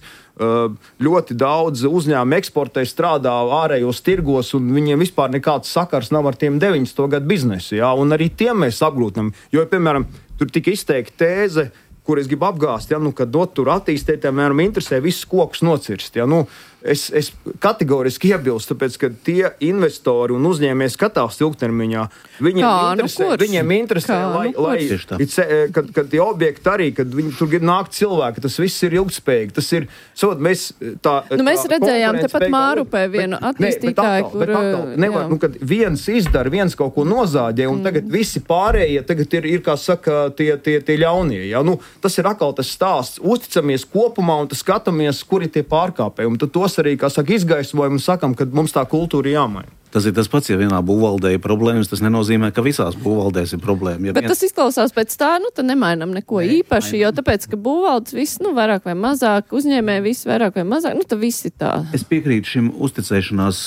Ļoti daudz uzņēmumu eksportē, strādā ārējos tirgos un viņiem vispār nekāds sakars nav ar tiem 90. gadu biznesu. Un arī tiem mēs apgrūtinām. Jo, piemēram, tur tika izteikta tēze, kur es gribu apgāst, ka tur attīstīt, piemēram, interesē visus kokus nocirst. es kategoriski iebilstu, tāpēc, ka tie investori un uzņēmēji skatās ilgtermiņā. Viņiem interesē, kad tie objekti arī, kad viņi tur grib nākt cilvēki, tas viss ir ilgtspējīgi. Tas ir, mēs redzējām tepat Mārupē vienu attīstītāju, kad viens izdara, viens kaut ko nozāģē, un tagad visi pārējie tagad ir kā saka, tie ļaunie. Ja? Tas ir atkal tas stāsts. Uzticamies kopumā un skatāmies, kur ir tie pārkāpēji. Un tad tos arī, kā saka, izgaismojam un sakam, ka mums tā kultūra ir jāmaina. Tas ir tas pats, ja vienā būvvaldē ir problēmas, tas nenozīmē, ka visās būvvaldēs ir problēma. Bet tas izklausās pēc tā, tad nemainam neko īpaši, jo tāpēc, ka būvvaldes viss, vairāk vai mazāk, uzņēmēji viss vairāk vai mazāk, tad viss ir tā. Es piekrītu šim uzticēšanās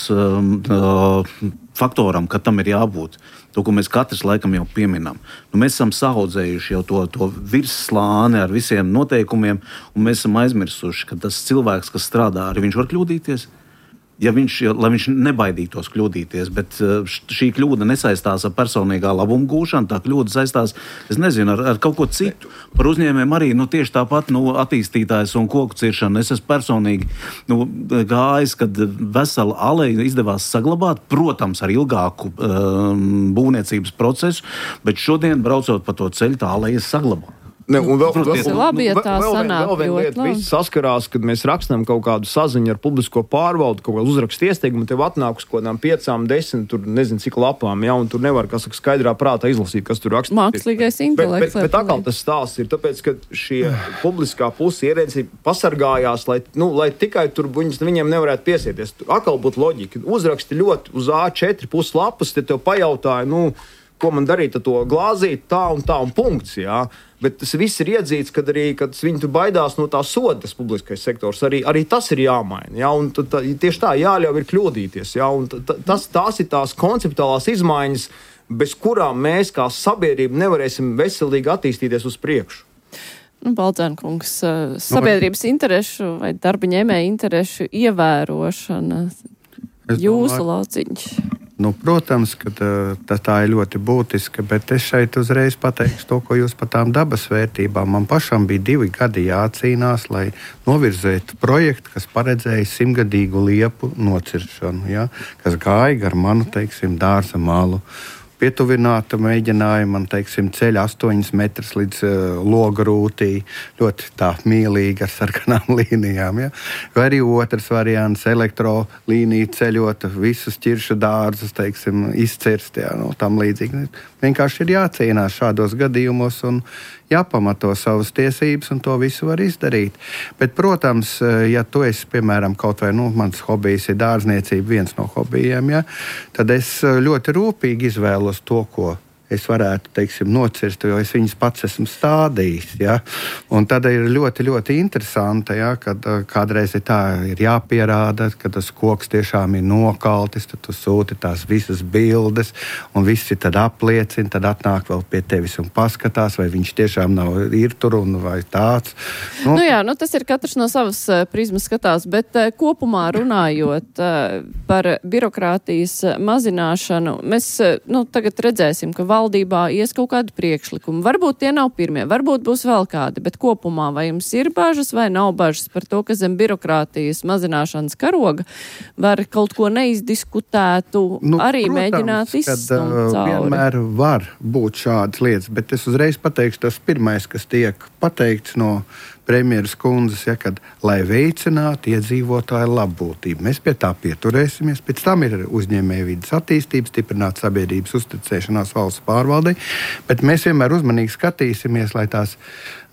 faktoram, ka tam ir jābūt. To, ko mēs katrs laikam jau pieminam. Mēs esam saaudzējuši jau to virsslāni ar visiem noteikumiem, un mēs esam aizmirsuši, ka tas cilvēks, kas strādā, arī viņš var kļūdīties. Lai viņš nebaidītos kļūdīties, bet šī kļūda nesaistās ar personīgā labuma gūšanu, tā kļūda saistās, es nezinu, ar kaut ko citu. Par uzņēmējiem arī tieši tāpat attīstītājs un koku ciršana. Es esmu personīgi gājis, kad vesela aleja izdevās saglabāt, protams, ar ilgāku būvniecības procesu, bet šodien, braucot pa to ceļu, tā aleja saglabā. Labi, ja tā sanāk ļoti. Visi saskarās, kad mēs rakstām kaut kādu saziņu ar publisko pārvaldu, kaut kādu uzrakstu iesteikumu, tev atnāk uz kaut kādām 5, 10, tur nezinu cik lapām, un tur nevar, kā saka, skaidrā prātā izlasīt, kas tur rakstīts. Mākslīgais intelekts. Bet atkal tas stāsts ir tāpēc, ka šie publiskā puse ierēdzi pasargājās, lai tikai tur viņiem nevarētu piesieties. Atkal būtu loģika. Uzraksti ļoti uz A4 puslapas, te tev pajautāja, ko man darīt ar to glāzīt, tā un punkts, jā. Bet tas viss ir iedzīts, kad viņi tur baidās no tā soda, tas publiskais sektors. Arī tas ir jāmaina. Ja? Un tieši tā jāļauj ir kļūdīties. Ja? Un tās ir tās konceptuālās izmaiņas, bez kurām mēs kā sabiedrība nevarēsim veselīgi attīstīties uz priekšu. Baldzēnkungs, sabiedrības interešu vai darba ņēmēja interešu ievērošana, jūsu lauciņš. Protams, ka tā ir ļoti būtiska, bet es šeit uzreiz pateikšu to, ko jūs par tām dabas vērtībām. Man pašam bija 2 gadi jācīnās, lai novirzētu projektu, kas paredzēja 100-gadīgu liepu nociršanu, ja, kas gāja gar manu, dārza malu. Pietuvināta mēģināja man, ceļa 8 metrus līdz loga rūtī, ļoti tā mīlīgi ar sarkanām līnijām. Ja? Vai arī otrs variants, elektrolīnija ceļot, visus ķiršu dārzus, izcirst, tam līdzīgi. Vienkārši ir jācīnās šādos gadījumos un jāpamato savas tiesības, un to visu var izdarīt. Bet, protams, ja tu esi, piemēram, kaut vai, mans hobijs ir dārzniecība, viens no hobijiem, ja, tad es ļoti rūpīgi izvēlos to, ko es varētu, nocirst, jo es viņus pats esmu stādījis. Ja? Un tad ir ļoti, ļoti interesanti, ja? Kad kādreiz ir jāpierāda, ka tas koks tiešām ir nokaltis, tad tu sūti tās visas bildes, un visi tad apliecina, tad atnāk vēl pie tevis un paskatās, vai viņš tiešām ir tur un vai tāds. Tas ir katrs no savas prizmas skatās, bet kopumā runājot par birokrātijas mazināšanu, mēs tagad redzēsim, ka valdībā ies kaut kādu priekšlikumu. Varbūt tie nav pirmie, varbūt būs vēl kādi, bet kopumā vai jums ir bažas vai nav bažas par to, ka zem birokrātijas mazināšanas karoga var kaut ko neizdiskutētu, arī protams, mēģināt izstumt cauri? Vienmēr var būt šādas lietas, bet es uzreiz pateikšu, tas pirmais, kas tiek pateikts no premjeras kundzes, kad, lai veicinātu iedzīvotāju labbūtību. Mēs pie tā pieturēsimies, pēc tam ir uzņēmējvides attīstība, stiprināt sabiedrības uzticēšanās valsts pārvaldei, bet mēs vienmēr uzmanīgi skatīsimies, lai tās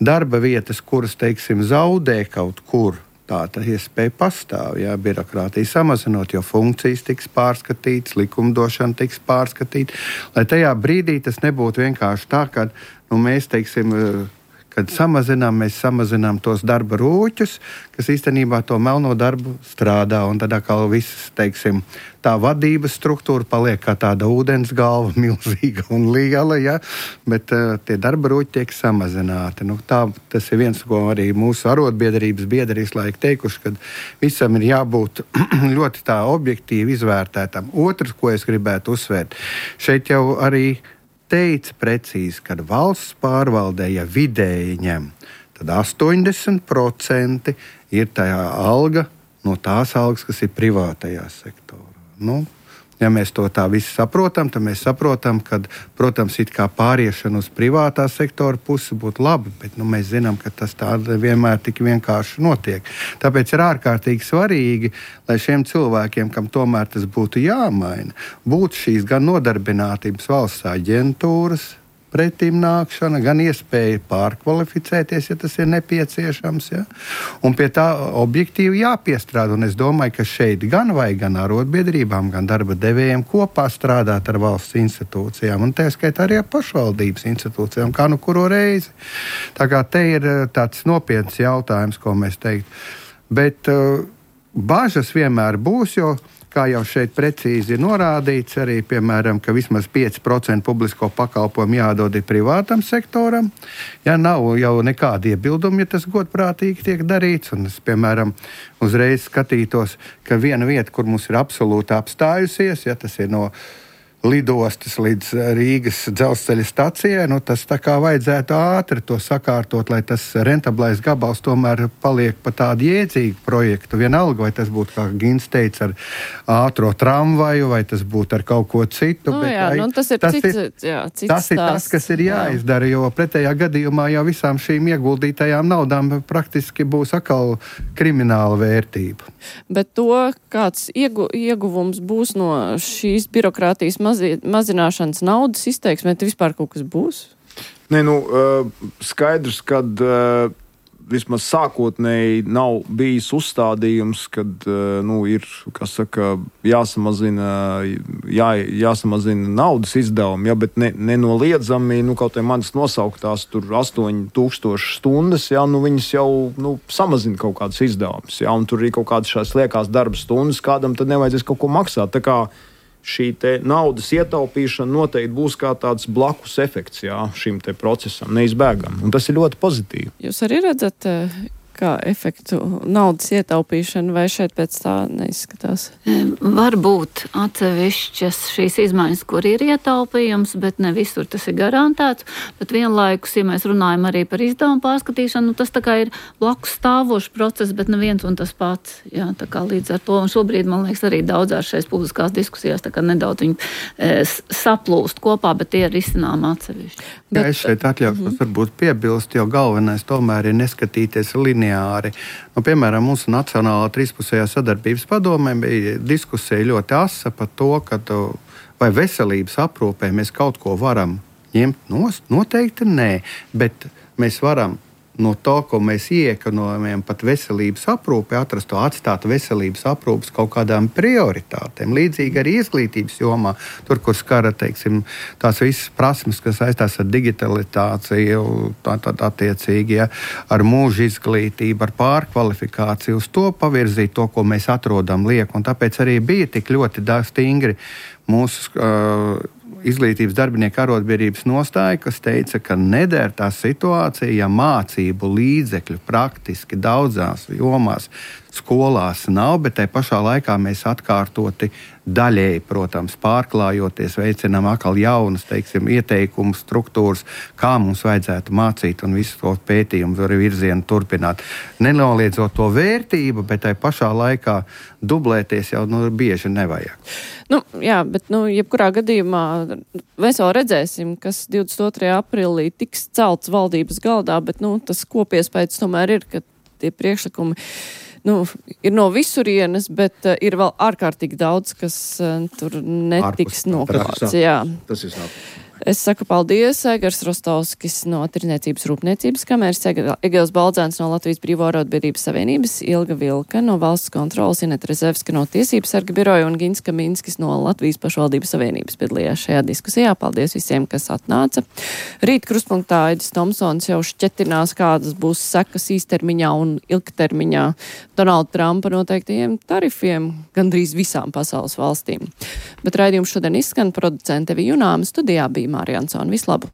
darba vietas, kuras, zaudē kaut kur, tā iespēja pastāv, ja, birokrātija samazinot, jo funkcijas tiks pārskatītas, likumdošana tiks pārskatīta, lai tajā brīdī tas nebūtu vienkārši tā, ka mēs, kad mēs samazinām tos darba rūķus, kas īstenībā to melno darbu strādā, un tad atkal viss, tā vadības struktūra paliek kā tāda ūdens galva, milzīga un liela, ja? Bet tie darba rūķi tiek samazināti. Tas ir viens, ko arī mūsu arotbiedrības biedri visu laiku teikuši, ka visam ir jābūt ļoti tā objektīvi izvērtētam. Otrs, ko es gribētu uzsvērt, šeit jau arī teica precīzi, ka valsts pārvaldē, ja vidēji ņem, tad 80% ir tā alga no tās algas, kas ir privātajā sektorā. Nu, ja mēs to tā visi saprotam, tad mēs saprotam, ka, protams, it kā pāriešana uz privātā sektora pusi būtu labi, bet mēs zinām, ka tas tā vienmēr tik vienkārši notiek. Tāpēc ir ārkārtīgi svarīgi, lai šiem cilvēkiem, kam tomēr tas būtu jāmaina, būtu šīs gan nodarbinātības valsts aģentūras pretīm nākšana, gan iespēja pārkvalificēties, ja tas ir nepieciešams. Ja? Un pie tā objektīvi jāpiestrādā. Un es domāju, ka šeit gan vajag gan arotbiedrībām, gan darba devējiem kopā strādāt ar valsts institūcijām. Un tā skaitā arī ar pašvaldības institūcijām, kā nu kuru reizi. Tā kā te ir tāds nopietns jautājums, ko mēs teikt. Bet bažas vienmēr būs, jo kā jau šeit precīzi ir norādīts, arī, piemēram, ka vismaz 5% publisko pakalpojumu jādod privātam sektoram. Ja nav jau nekādi iebildumi, ja tas godprātīgi tiek darīts. Un es, piemēram, uzreiz skatītos, ka viena vieta, kur mums ir absolūti apstājusies, ja tas ir no lidostas līdz Rīgas dzelzceļa stacijai, tas tā kā vajadzētu ātri to sakārtot, lai tas rentablais gabals tomēr paliek pa tādu jēdzīgu projektu. Vienalga, vai tas būtu, kā Gins teica, ar ātro tramvaju, vai tas būtu ar kaut ko citu. Tas ir cits tas, kas ir jāizdara, jo pretējā gadījumā jau visām šīm ieguldītajām naudām praktiski būs atkal krimināla vērtība. Bet to, kāds ieguvums būs no šīs birokrātijas mazināšanas naudas izteiksmē, te vispār kaut kas būs? Nē, skaidrs, kad vismaz sākotnēji nav bijis uzstādījums, kad ir, jāsamazina naudas izdevumi, ja, bet nenoliedzami, kaut vai manas nosauktās tur 8000 stundas, ja, viņas jau samazina kaut kādas izdevumus, ja, un tur ir kaut kādas šās liekās darba stundas, kādam tad nevajadzēs kaut ko maksāt. Tā kā šī te naudas ietaupīšana noteikti būs kā tāds blakus efekts šim te procesam, neizbēgam. Un tas ir ļoti pozitīvi. Jūs arī redzat, kā efektu naudas ietaupīšana, vai šeit pēc tā neizskatās? Varbūt atsevišķas šīs izmaiņas, kur ir ietaupījums, bet ne visur tas ir garantēts. Bet vienlaikus, ja mēs runājam arī par izdevumu pārskatīšanu, tas tā kā ir blakus stāvošs process, bet neviens un tas pats. Jā, tā kā līdz ar to, un šobrīd, man liekas, arī daudzās šais publiskās diskusijās tā kā nedaudz viņi saplūst kopā, bet tie ir izcinām atsevišķi. Jā, es šeit atļaušos varbūt piebilst, jo galvenais tomēr ir neskatīties lineāri. Piemēram, mūsu Nacionālā trīspusējā sadarbības padomē bija diskusija ļoti asa par to, ka vai veselības aprūpē mēs kaut ko varam ņemt nost. Noteikti nē, bet mēs varam no to, ko mēs iekonomējam pat veselības aprūpē, atstāt veselības aprūpes kaut kādām prioritātēm. Līdzīgi arī izglītības jomā, tur, kur skara, teiksim, tās visas prasmes, kas saistās ar digitalizāciju, attiecīgi, ja, ar mūža izglītību, ar pārkvalifikāciju, uz to pavirzīt to, ko mēs atrodam lieku. Un tāpēc arī bija tik ļoti stingri mūsu izglītības darbinieku arotbiedrības nostāja, kas teica, ka neder tā situācija, ja mācību līdzekļu praktiski daudzās jomās skolās nav, bet tai pašā laikā mēs atkārtoti daļēji, protams, pārklājoties, veicinām atkal jaunas, teiksim, ieteikumu struktūras, kā mums vajadzētu mācīt un visu to pētījumu arī virzienu turpināt. Nenoliedzot to vērtību, bet tai pašā laikā dublēties jau bieži nevajag. Jā, bet jebkurā gadījumā mēs vēl redzēsim, kas 22. aprīlī tiks celts valdības galdā, bet tas kopiespējas tomēr ir, ka tie priekšlikumi ir no visurienes, bet ir vēl ārkārtīgi daudz, kas tur netiks noklāts. Jā. Tas ir sāp. Es saku paldies, Egars Rostovskis no Tirdzniecības rūpniecības kameras, Egils Baldzēns no Latvijas Brīvo arotbiedrības savienības, Ilga Vilka no Valsts kontrolas, Ineta Rezevska no Tiesības sarga biroja un Gins Kaminskis no Latvijas pašvaldības savienības piedalījās šajā diskusijā. Paldies visiem, kas atnāca. Rīt krustpunktā Aidis Tomsons jau šķetinās, kādas būs sekas īstermiņā un ilgtermiņā Donalda Trumpa noteiktajiem tarifiem gandrīz visām pasaules valstīm. Bet raidījums šodien izskan, producente Vija Junāma, studijā bija Mārija Ansone. Vislabāk!